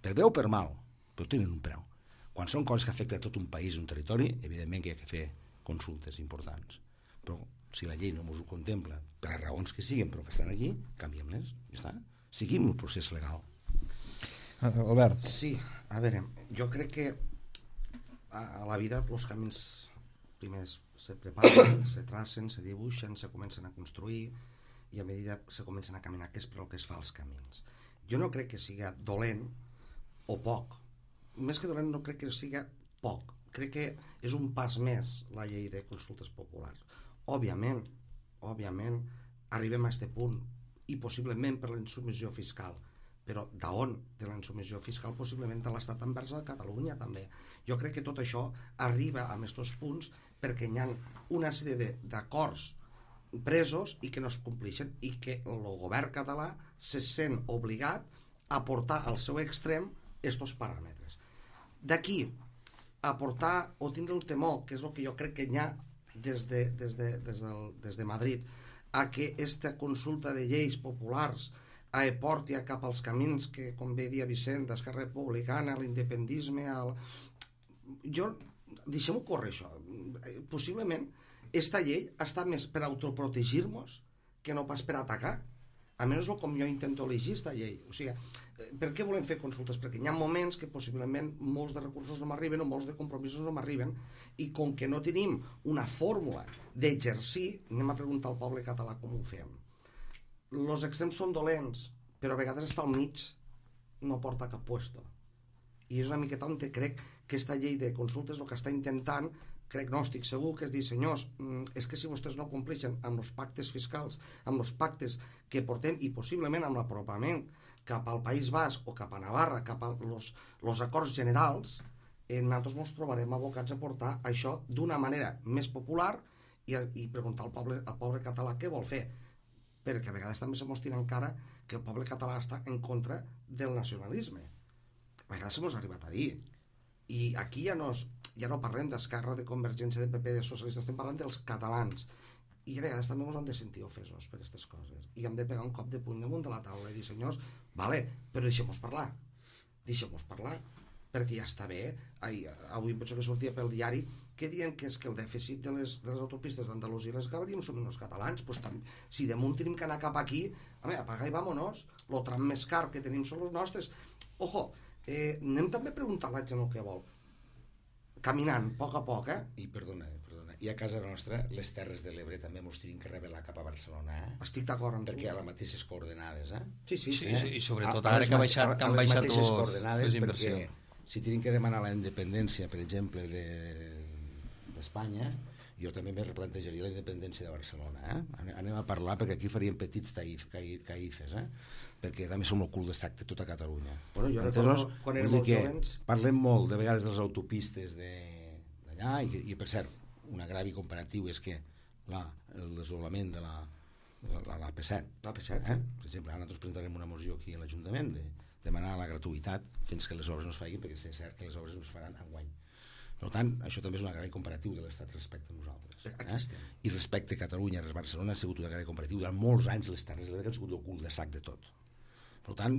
Per bé o per mal, però tenen un preu. Quan són coses que afecten a tot un país, un territori, evidentment que hi ha que fer consultes importants. però si la llei no ens ho contempla, per a raons que siguin, però que estan aquí, canviem-les, ja està. Seguim el procés legal. Albert. Sí, a veure, jo crec que a, a la vida els camins primers se preparen, se tracen, se dibuixen, se comencen a construir i a mesura se comencen a caminar, que és per el que es fa els camins. Jo no crec que siga dolent o poc. Més que dolent no crec que siga poc. Crec que és un pas més la llei de consultes populars. Òbviament, òbviament, arribem a aquest punt i possiblement per la insubmissió fiscal. Però d'on? De la insubmissió fiscal possiblement de l'Estat envers a Catalunya també. Jo crec que tot això arriba a aquests punts perquè hi ha una sèrie d'acords presos i que no es compleixen i que el govern català se sent obligat a portar al seu extrem aquests paràmetres. D'aquí a portar o tindre el temor, que és el que jo crec que hi ha des de, des de, des del, des de Madrid, a que aquesta consulta de lleis populars a porti cap als camins que, com bé dia Vicent, d'Esquerra Republicana, l'independisme, el... jo, deixem-ho córrer això. Possiblement, esta llei està més per autoprotegir-nos que no pas per atacar. A menys com jo intento elegir esta llei. O sigui, per què volem fer consultes? Perquè hi ha moments que possiblement molts de recursos no m'arriben o molts de compromisos no m'arriben i com que no tenim una fórmula d'exercir, anem a preguntar al poble català com ho fem. Els extrems són dolents, però a vegades estar al mig no porta a cap puesto. I és una miqueta on crec que aquesta llei de consultes el que està intentant, crec, no, estic segur, que és dir, senyors, és que si vostès no compleixen amb els pactes fiscals, amb els pactes que portem i possiblement amb l'apropament cap al País Basc o cap a Navarra, cap als acords generals, eh, nosaltres ens trobarem abocats a portar això d'una manera més popular i, i preguntar al poble, al poble català què vol fer. Perquè a vegades també se mos tira encara que el poble català està en contra del nacionalisme. A vegades se mos ha arribat a dir. I aquí ja no, ja no parlem d'Esquerra, de Convergència, de P P, de socialistes, estem parlant dels catalans. I a vegades també ens hem de sentir ofesos per aquestes coses. I hem de pegar un cop de puny damunt de la taula i dir, senyors, vale, però deixem-nos parlar. Deixem-nos parlar. Perquè ja està bé. Ai, avui penso que sortia pel diari que diuen que és que el dèficit de les, de les autopistes d'Andalusia i les Gabriel són els catalans. Pues, tam, si damunt tenim que anar cap aquí, home, apaga i vámonos. El tram més car que tenim són els nostres. Ojo, eh, anem també a preguntar a la gent el que vol. Caminant, a poc a poc, eh? I perdona, perdona. I a casa nostra, les Terres de l'Ebre també mos tenim que revelar cap a Barcelona, eh? Estic d'acord amb tu. Perquè a les mateixes coordenades, eh? Sí, sí, sí. Sí, sí, i sobretot a, ara que, baixat, que han baixat les coordenades, les inversions. Perquè si tenim que demanar la independència, per exemple, d'Espanya, de, jo també me replantejaria la independència de Barcelona, eh? Anem a parlar, perquè aquí faríem petits taif, caifes, eh? Perquè també som el cul de sac de tota Catalunya. Bueno, jo recordo quan érem molt jovens... Parlem molt, de vegades, de les autopistes d'allà, i, i per cert, un agravi comparatiu és que la, el desdoblament de la, la, la P set, la P set, eh? Per exemple, ara nosaltres presentarem una moció aquí a l'Ajuntament de demanar la gratuïtat fins que les obres no es facin, perquè és cert que les obres no es faran enguany. Per tant, això també és un agravi comparatiu de l'Estat respecte a nosaltres. Eh? I respecte a Catalunya, a Barcelona, ha sigut un agravi comparatiu. Durant molts anys les Terres de l'Ebre han sigut el cul de sac de tot. Per tant,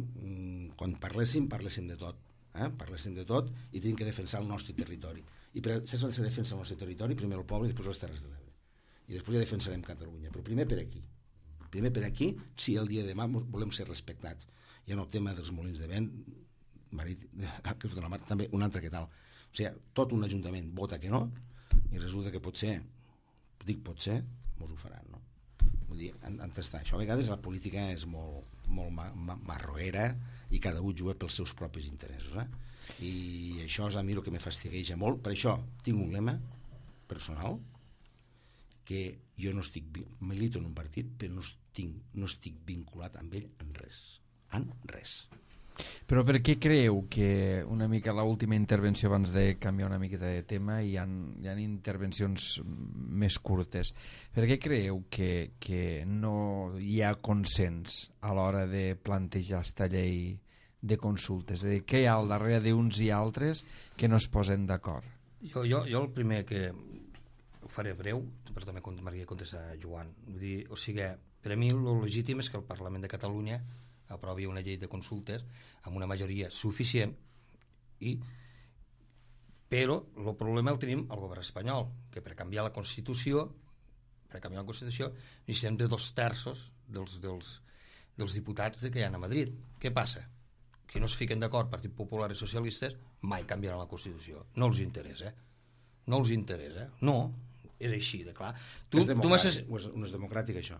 quan parléssim, parléssim de tot. Eh? Parléssim de tot i tenim que defensar el nostre territori. I per això s'ha de defensar el nostre territori, primer el poble i després les Terres de l'Ebre. I després ja defensarem Catalunya, però primer per aquí. Primer per aquí, si el dia de demà volem ser respectats. Hi ha el tema dels molins de vent, marit, que la mar, també un altre que tal. O sigui, tot un ajuntament vota que no i resulta que potser, dic potser, mos ho faran, no? Vull dir, en, en tastar. Això a vegades la política és molt, molt ma, ma, marroera i cada un juga pels seus propis interessos, eh? I això és a mi el que me fastigueja molt. Per això tinc un lema personal que jo no estic, milito en un partit, però no estic, no estic vinculat amb ell en res. En res. Però per què creu que una mica l'última intervenció, abans de canviar una miqueta de tema, hi ha, hi ha intervencions més curtes, per què creu que, que no hi ha consens a l'hora de plantejar esta llei de consultes? És a dir, què hi ha al darrere d'uns i altres que no es posen d'acord? Jo, jo, jo el primer que ho faré breu, però també m'agradaria contestar a Joan. Vull dir, o sigui, per a mi el legítim és que el Parlament de Catalunya aprovi una llei de consultes amb una majoria suficient, i però el problema el tenim al govern espanyol, que per canviar la Constitució, per per canviar la Constitució necessitem de dos terços dels, dels, dels diputats que hi ha a Madrid. Què passa? Que no es fiquen d'acord Partit Popular i socialistes, mai canviaran la Constitució. No els interessa. No els interessa. No, és així de clar. Tu, és democràtic, tu o és, no és democràtic, això?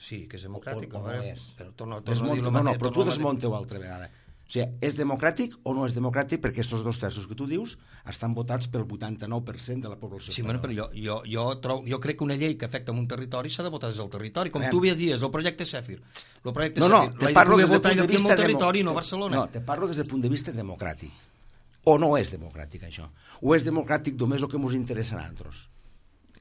Sí, que és democràtic. O, o, o no és? Però torno, torno Desmunta, a dir no, no, mateix, però tu torno a dir- desmunta-ho altra vegada. O sigui, és democràtic o no és democràtic perquè aquests dos terços que tu dius estan votats pel vuitanta-nou per cent de la població Sí, bueno, espanyola. però jo, jo, jo, trobo, jo crec que una llei que afecta un territori s'ha de votar des del territori. Com A tu veure. dies, el projecte Sèfir. El projecte No, no, Sèfir te l'hai parlo de des poder del votar punt de aquí en vista... el territori, demo- no a Barcelona. No, te parlo des del punt de vista democràtic. O no és democràtic, això? O és democràtic només el que ens interessa a nosaltres?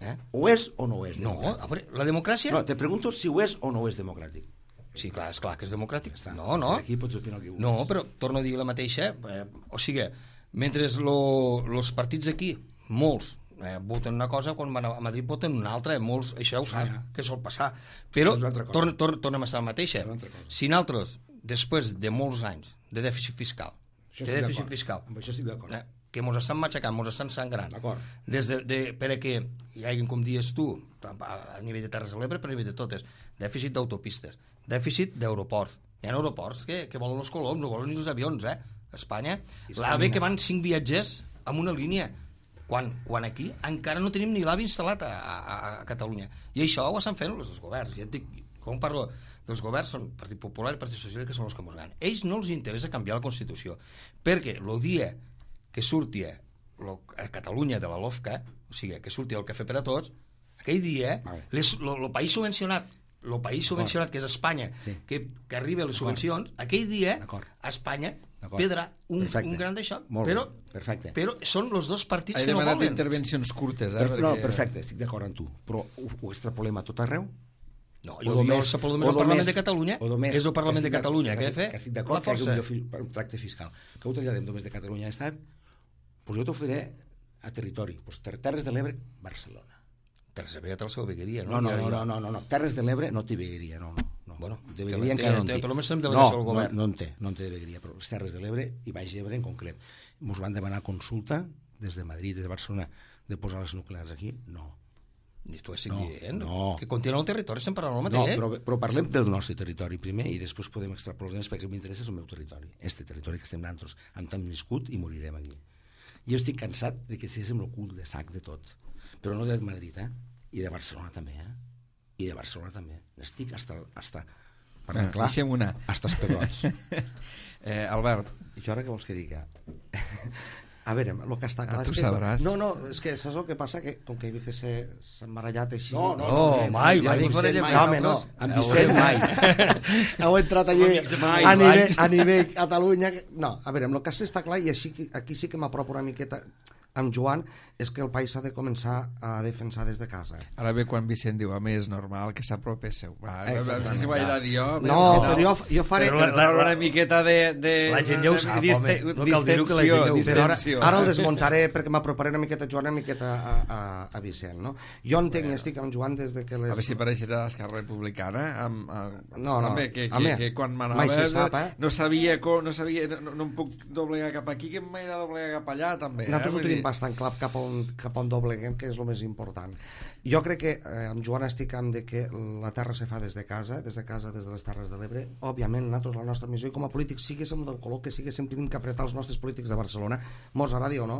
Eh? O és o no és No, democràtic? a veure, la democràcia... No, te pregunto si ho és o no és democràtic. Sí, clar, és clar que és democràtic. Ja està. No, no. Aquí pots opinar el que vulguis. No, però torno a dir la mateixa. Eh, o sigui, mentre els partits aquí, molts, eh, voten una cosa, quan van a Madrid voten una altra, molts, això ja ho saps, Ja. que sol passar. Però Això és una altra cosa. torn, torn, tornem a estar la mateixa. Això és una altra cosa. Si nosaltres, després de molts anys de dèficit fiscal, Això de estic dèficit d'acord. fiscal, Amb això estic d'acord. eh, que ens estan matxacant, ens estan sangrant, D'acord. des de, de, per a que hi hagi, com dius tu, a, a nivell de Terres de l'Ebre, per a nivell de totes, dèficit d'autopistes, dèficit d'aeroports. Hi ha aeroports que, que volen els coloms, no volen ni els avions, eh? A Espanya, l'AVE que van cinc viatgers amb una línia, quan, quan aquí encara no tenim ni l'AVE instal·lat a, a, a Catalunya. I això ho estan fent els dos governs. Ja et dic, quan parlo dels governs, són Partit Popular i Partit Socialista, que són els que ens ganen. Ells no els interessa canviar la Constitució, perquè el dia que surti a Catalunya de la LOFCA, o sigui, que surti el cafè per a tots, aquell dia, Vale. el país subvencionat, el país subvencionat, que és Espanya, Sí. que, que arriba a les subvencions, aquell dia, D'acord. a Espanya, D'acord. perdrà un, Perfecte. un gran d'això. Molt Però, bé. Perfecte. però són els dos partits He que no demanat volen. intervencions curtes, eh? Per, no, perquè- perfecte, estic d'acord amb tu. Però ho, ho extrapolem a tot arreu? No, O jo, jo només- el parlo només o del Parlament només- de Catalunya, o només- és el Parlament de que estic Catalunya, d'acord- que ha de fer que estic la d'acord que hi força. hagi un tracte fiscal. Que ho traslladem només de Catalunya a Estat, doncs jo t'oferiré a territori. Doncs ter Terres de l'Ebre, Barcelona. Terres de l'Ebre té la seva vegueria, No, no? no, Ja- no, ja- no, no, no, no. Terres de l'Ebre no té vegueria, no, no. no. Bueno, de té- vegueria té- encara no en té- té. per almenys tenim delegació no, del govern. No, no en té, no en té de vegueria, però les Terres de l'Ebre i Baix Ebre en concret. Ens van demanar consulta des de Madrid, des de Barcelona, de posar les nuclears aquí? No. I tu estic No, dient no. que continua el territori, estem parlant el No, mateix. però, però parlem del nostre territori primer i després podem extrapolar els perquè m'interessa és el meu territori, este territori que estem nosaltres, on hem viscut i morirem aquí. Jo estic cansat de que siguéssim el cul de sac de tot, però no de Madrid, eh? I de Barcelona també, eh? I de Barcelona també. Estic hasta, hasta parlant Bueno, clar, deixem una. hasta els pebrots. Eh, Albert, Jo ara què vols que diga? A veure, el que està clar Ah, tu és que... sabràs. No, no, és que saps el que passa? Que com que he vist que s'ha s'ha embarallat així... No, no, No, mai, ja mai dic, ens barallem mai, No, home, no. Amb Vicent mai. Heu entrat Som allí amics de fa a mil nivell, anys. a nivell Catalunya... que- No, a veure, amb el que sí està clar, i així, que- aquí sí que m'apropo una miqueta amb Joan, és que el país s'ha de començar a defensar des de casa. ara ve quan Vicent diu, home, és normal que s'apropéssiu. Va, Eh, no sé si ho he de dir jo. No, al però jo, jo faré... Però Per treure una miqueta de... de La gent ja ho sap, home. No cal dir-ho, que la gent ja ho Però ara, distensió. ara el desmuntaré perquè m'aproparé una miqueta a Joan, una miqueta a, a, a Vicent, no? Jo entenc i estic amb Joan des de que les... A veure si apareixerà l'Esquerra Republicana amb, amb, No, no. Home, que, que, Home, que quan mai m'anava se sap, eh? no sabia com, no sabia, no, no em puc doblegar cap aquí, que m'he de doblegar cap allà també, eh? Nosaltres ho Vull tenim dir, bastant clar cap on, cap on dobleguem, que és el més important. Jo crec que eh, amb Joan estic amb de que la terra se fa des de casa, des de casa, des de les Terres de l'Ebre. Òbviament, nosaltres, la nostra missió, i com a polítics, siguéssim del color que siguéssim, tenim que apretar els nostres polítics de Barcelona, mos agradi o no,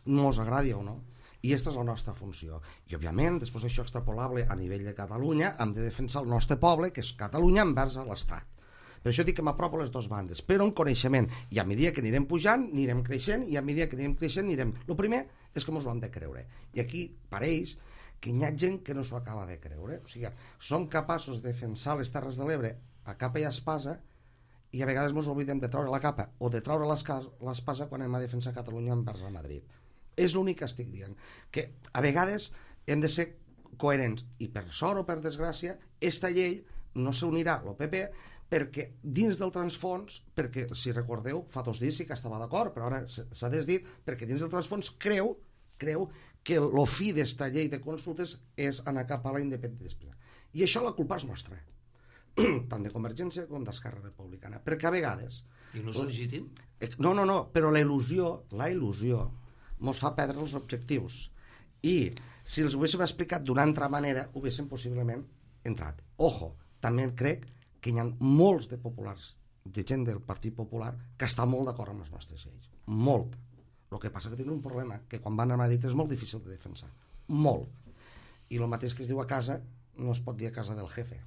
mos agradi o no. I aquesta és la nostra funció. I, òbviament, després això extrapolable a nivell de Catalunya, hem de defensar el nostre poble, que és Catalunya envers a l'Estat. Per això dic que m'apropo a les dues bandes, però en coneixement. I a mesura que anirem pujant, anirem creixent, i a mesura que anirem creixent, anirem... El primer és que ens ho hem de creure. I aquí pareix que hi ha gent que no s'ho acaba de creure. O sigui, som capaços de defensar les Terres de l'Ebre a capa i a espasa, i a vegades ens oblidem de treure la capa o de treure l'espasa quan anem a defensar Catalunya envers a Madrid. És l'únic que estic dient. Que a vegades hem de ser coherents. I per sort o per desgràcia, esta llei no s'unirà al P P perquè dins del transfons, perquè si recordeu, fa dos dies sí que estava d'acord, però ara s'ha desdit, perquè dins del transfons creu, creu que el fi d'esta llei de consultes és anar cap a la independència. I això la culpa és nostra, tant de Convergència com d'Esquerra Republicana, perquè a vegades... I no és legítim? No, no, no, però la il·lusió, la il·lusió mos fa perdre els objectius. I si els ho haguéssim explicat d'una altra manera, ho haguéssim possiblement entrat. Ojo, també crec que hi ha molts de populars, de gent del Partit Popular, que està molt d'acord amb les nostres lleis. Molt. El que passa que tenen un problema, que quan van a Madrid és molt difícil de defensar. Molt. I el mateix que es diu a casa, no es pot dir a casa del jefe.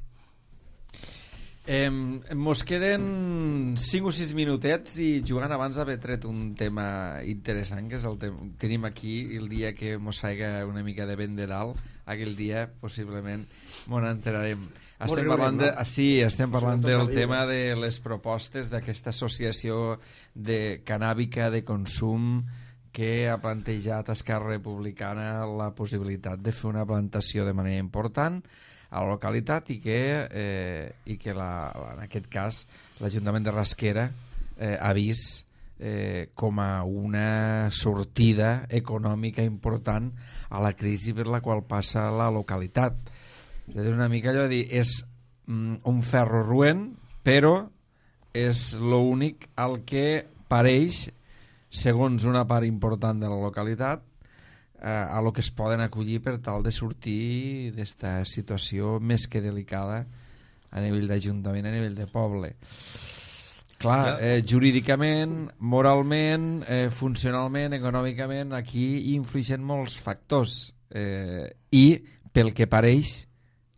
Eh, mos queden cinc o sis minutets i Joan abans haver tret un tema interessant que és el tema, tenim aquí el dia que mos faiga una mica de vent de dalt, aquell dia possiblement mos enterarem. Estem parlant, de, sí, estem parlant del tema de les propostes d'aquesta associació de canàbica de consum que ha plantejat Esquerra Republicana la possibilitat de fer una plantació de manera important a la localitat i que, eh, i que la, la, en aquest cas l'Ajuntament de Rasquera eh, ha vist eh, com a una sortida econòmica important a la crisi per la qual passa la localitat. És a dir, una mica allò de dir, és mm, un ferro roent, però és l'únic al que pareix, segons una part important de la localitat, a lo que es poden acollir per tal de sortir d'esta situació més que delicada a nivell d'Ajuntament, a nivell de poble. Clar, eh, jurídicament, moralment, eh, funcionalment, econòmicament, aquí hi influeixen molts factors eh, i, pel que pareix,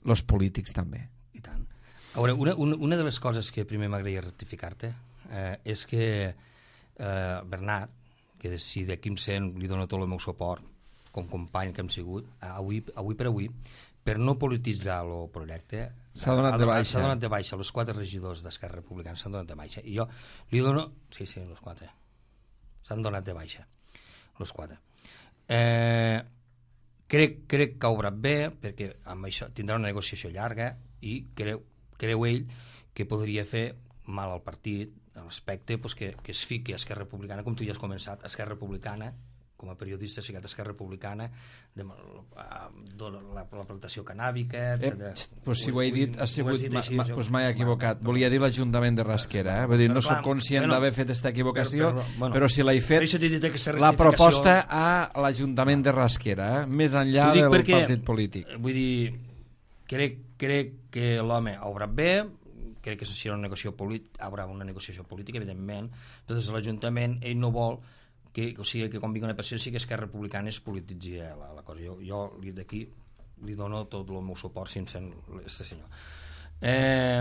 els polítics també. I tant. A veure, una, una, una de les coses que primer m'agradaria rectificar-te eh, és que eh, Bernat, que si d'aquí em sent li dono tot el meu suport com company que hem sigut, avui, avui per avui, per no polititzar el projecte, s'ha donat de baixa. S'ha donat de baixa, els quatre regidors d'Esquerra Republicana s'han donat de baixa. I jo li dono... Sí, sí, els quatre. S'han donat de baixa, els quatre. Eh, crec, crec que ha obrat bé, perquè amb això tindrà una negociació llarga i creu, creu ell que podria fer mal al partit, a l'aspecte pues, que, que es fiqui a Esquerra Republicana, com tu ja has començat, Esquerra Republicana, com a periodista has ficat a Esquerra Republicana, de, la, la, la plantació canàbica, etcètera. Eh, pues si ho he dit, ha sigut, dit així, ma, pues m'he equivocat. Volia dir l'Ajuntament de Rasquera, eh? Vull dir, no soc conscient d'haver fet aquesta equivocació, però, però, bueno, però si l'he fet, la proposta a l'Ajuntament de Rasquera, eh? Més enllà del perquè, partit polític. Vull dir, crec, crec que l'home ha obrat bé, crec que serà una negociació política, haurà una negociació política, evidentment, però des de l'Ajuntament ell no vol que, o sigui, que quan vingui una persona sí que Esquerra Republicana es polititzi la, la cosa. Jo, jo d'aquí li dono tot el meu suport si em sent este senyor. Eh,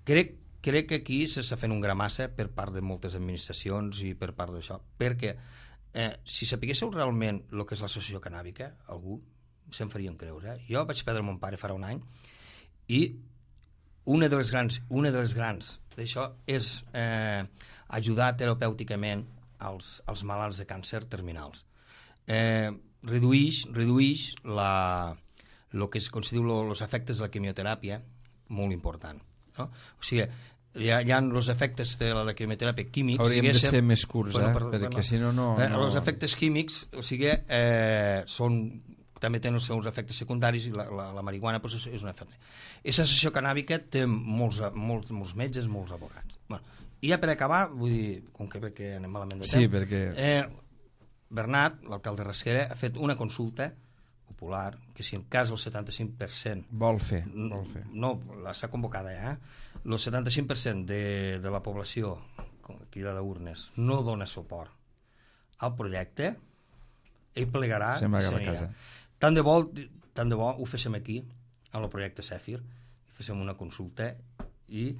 crec, crec que aquí s'està fent un gramassa per part de moltes administracions i per part d'això, perquè eh, si sapiguéssiu realment el que és l'associació canàbica, algú se'n farien creure. Eh? Jo vaig perdre mon pare farà un any i una de les grans, una de les grans d'això és eh, ajudar terapèuticament als, als malalts de càncer terminals. Eh, reduïix, reduïix la, lo que es considera els efectes de la quimioteràpia, molt important. No? O sigui, hi ha, hi ha els efectes de la quimioteràpia químics... Hauríem de ser més curts, bueno, eh? per, perquè bueno, si no, no... eh, els efectes químics, o sigui, eh, són... també tenen els seus efectes secundaris i la, la, la marihuana pues, és un efecte. Aquesta associació canàbica té molts, molts, molts metges, molts advocats. Bueno, i ja per acabar, vull dir, com que, que anem malament de temps, sí, perquè... eh, Bernat, l'alcalde de Rasquera, ha fet una consulta popular que si en cas el setanta-cinc per cent vol fer, vol fer. No, està convocada ja, eh? El setanta-cinc per cent de, de la població cridada urnes no dona suport al projecte, ell plegarà se'n va a casa. Tant de bo, tant de bo ho féssim aquí amb el projecte Zèfir, féssim una consulta i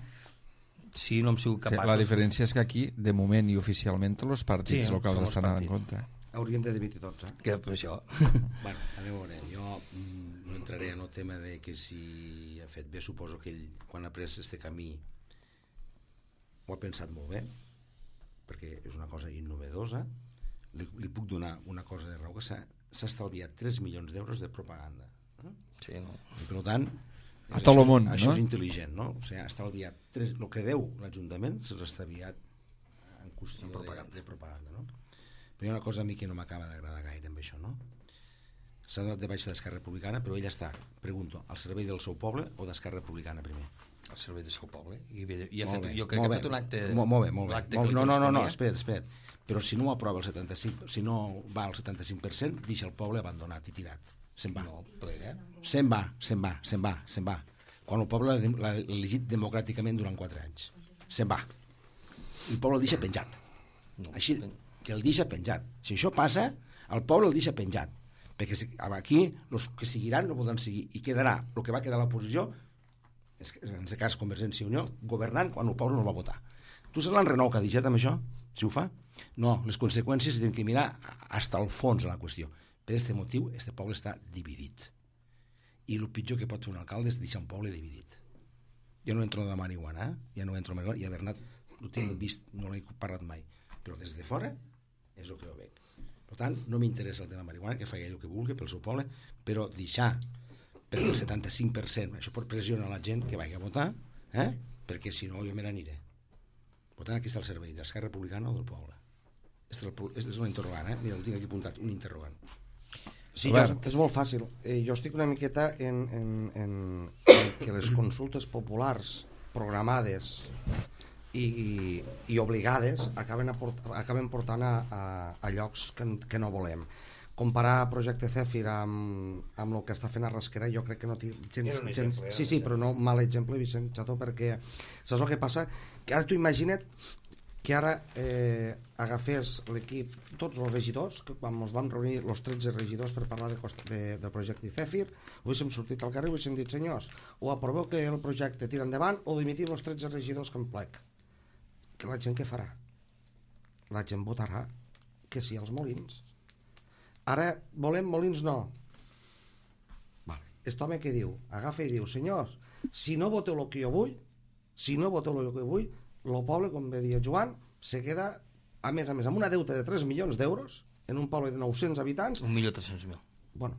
si no hem sigut capaços... Sí, la diferència és que aquí, de moment i oficialment, tots els partits sí, locals estan en compte. Hauríem de dividir tots, eh? Que per això... Bueno, a veure, jo no entraré en el tema de que si ha fet bé, suposo que ell, quan ha pres este camí, ho ha pensat molt bé, perquè és una cosa innovedosa. Li, li puc donar una cosa de raó, que s'ha estalviat tres milions d'euros de propaganda. Eh? Sí, no? I per tant, a tot el món, això no? és intel·ligent, no? O sigui, ha estalviat tres, el que deu l'Ajuntament s'ha estalviat en qüestió en propaganda. De, de propaganda, no? Però hi ha una cosa a mi que no m'acaba d'agradar gaire amb això, no? S'ha donat de baixa d'Esquerra Republicana, però ell està, pregunto, al servei del seu poble o d'Esquerra Republicana primer? Al servei del seu poble. I, i ha fet, bé, jo crec que ha fet un acte... Molt, molt bé, molt bé. Molt, no, no, no, no, espera't, espera't. Però si no ho aprova el setanta-cinc, si no va al setanta-cinc per cent, deixa el poble abandonat i tirat. se'n va. No, plega. Se'n va, se'n va, se'n va, se'n va. Quan el poble l'ha elegit democràticament durant quatre anys. Se'n va. El poble el deixa penjat. No. Així, que el deixa penjat. Si això passa, el poble el deixa penjat. Perquè aquí, els que seguiran no poden seguir. I quedarà, el que va quedar a l'oposició, en aquest cas Convergència i Unió, governant quan el poble no el va votar. Tu saps l'enrenou que ha deixat amb això? Si ho fa? No, les conseqüències tenen que mirar fins al fons de la qüestió. Per aquest motiu, aquest poble està dividit. I el pitjor que pot fer un alcalde és deixar un poble dividit. Jo no entro de marihuana, eh? ja no entro de marihuana, i a Bernat ho tinc vist, no l'he parlat mai, però des de fora és el que ho veig. Per tant, no m'interessa el tema de marihuana, que faci el que vulgui pel seu poble, però deixar perquè el setanta-cinc per cent, això pot pressionar la gent que vagi a votar, eh? perquè si no jo me n'aniré. Per tant, aquí està el servei d'Esquerra Republicana o del poble. És un interrogant, eh? Mira, ho tinc aquí apuntat, un interrogant. Sí, jo, és molt fàcil. Eh, jo estic una miqueta en, en, en, en que les consultes populars programades i, i obligades acaben, aport, acaben portant a, a, a llocs que, que no volem. Comparar Projecte Zèfir amb, amb el que està fent a Rasquera, jo crec que no té gens... gens sí, sí, però no mal exemple, Vicent Chato, perquè saps el que passa? Que ara tu imagina't que ara eh, agafés l'equip, tots els regidors, que quan ens vam reunir els tretze regidors per parlar de, de, del projecte Zèfir, ho haguéssim sortit al carrer i ho haguéssim dit, senyors, o aproveu que el projecte tira endavant o dimitim els tretze regidors que em plec. Que la gent què farà? La gent votarà que sí als Molins. Ara volem Molins no. Vale. Aquest home que diu, agafa i diu, senyors, si no voteu el que jo vull, si no voteu el que jo vull, el poble, com bé dia Joan, se queda, a més a més, amb una deuta de tres milions d'euros, en un poble de nou-cents habitants... un milió tres-cents mil. Bueno,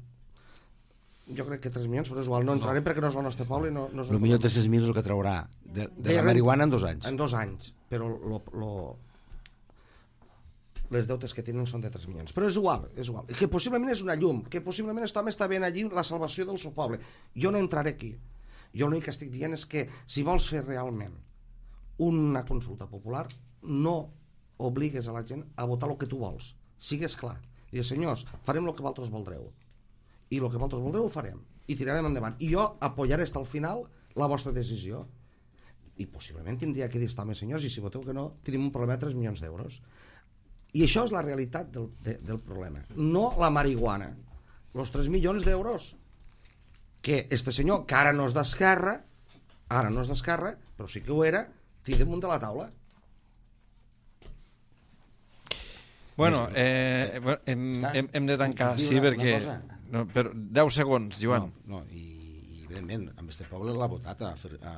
jo crec que tres milions, però és igual, no entrarem no. perquè no és el nostre poble. No, no és el milió tres-cents mil és el que traurà de, de, de la marihuana en dos anys. En dos anys, però lo, lo, les deutes que tenen són de tres milions. Però és igual, és igual. Que possiblement és una llum, que possiblement aquest home està ben allí la salvació del seu poble. Jo no entraré aquí. Jo l'únic que estic dient és que si vols fer realment una consulta popular, no obligues a la gent a votar el que tu vols. Sigues clar. Digues, senyors, farem el que vosaltres voldreu. I el que vosaltres voldreu ho farem. I tirarem endavant. I jo apoyaré fins al final la vostra decisió. I possiblement tindria que dir, home, senyors, i si voteu que no, tenim un problema de tres milions d'euros. I això és la realitat del, de, del problema. No la marihuana. Els tres milions d'euros que este senyor, que ara no és d'Esquerra, ara no és d'Esquerra, però sí que ho era, té damunt de la taula. Bueno, eh, hem, hem, hem de tancar, sí, perquè... No, però deu segons, Joan. No, no i, i evidentment, amb este poble l'ha votat a, a,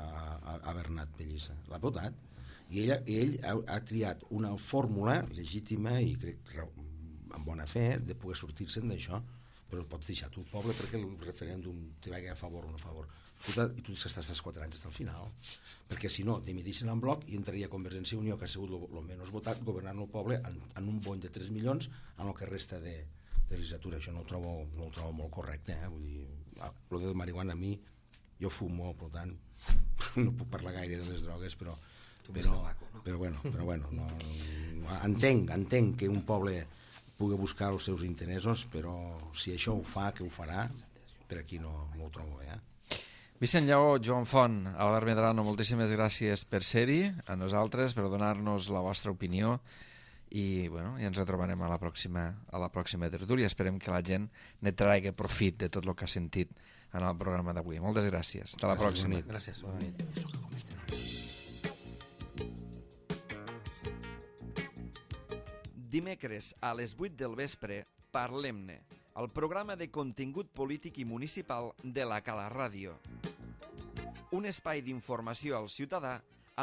a Bernat Pellissa. L'ha votat. I ell, ell ha, ha triat una fórmula legítima i crec amb bona fe de poder sortir-se'n d'això, però pots deixar tu el poble perquè el referèndum te vagi a favor o no a favor. Tu, i tu estàs als quatre anys al final, perquè si no, dimitixen en bloc i entraria Convergència i Unió, que ha sigut el menys votat, governant el poble en, en un bony de tres milions en el que resta de, de legislatura. Això no ho trobo, no ho trobo molt correcte, eh? Vull dir, el de marihuana a mi, jo fumo, per tant, no puc parlar gaire de les drogues, però però, però bueno, però bueno no, no, entenc, entenc que un poble pugui buscar els seus interessos, però si això ho fa, que ho farà, per aquí no, no ho trobo bé, eh? Vicent Lleó, Joan Font, Albert Medrano, moltíssimes gràcies per ser-hi, a nosaltres, per donar-nos la vostra opinió i, bueno, ja ens retrobarem a la pròxima, a la pròxima tertúlia. Esperem que la gent ne tragui profit de tot el que ha sentit en el programa d'avui. Moltes gràcies. Fins la pròxima. Gràcies, bona nit. Dimecres a les vuit del vespre, Parlem-ne, el programa de contingut polític i municipal de la Cala Ràdio. Un espai d'informació al ciutadà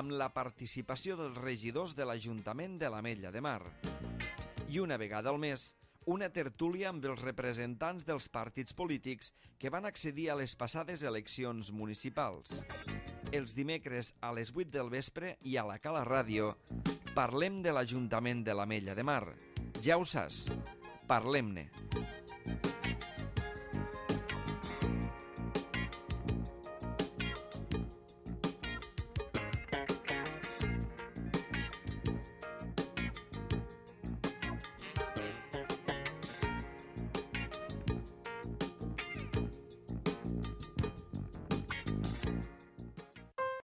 amb la participació dels regidors de l'Ajuntament de l'Ametlla de Mar. I una vegada al mes, una tertúlia amb els representants dels partits polítics que van accedir a les passades eleccions municipals. Els dimecres a les vuit del vespre i a la Cala Ràdio parlem de l'Ajuntament de l'Ametlla de Mar. Ja ho saps, parlem-ne.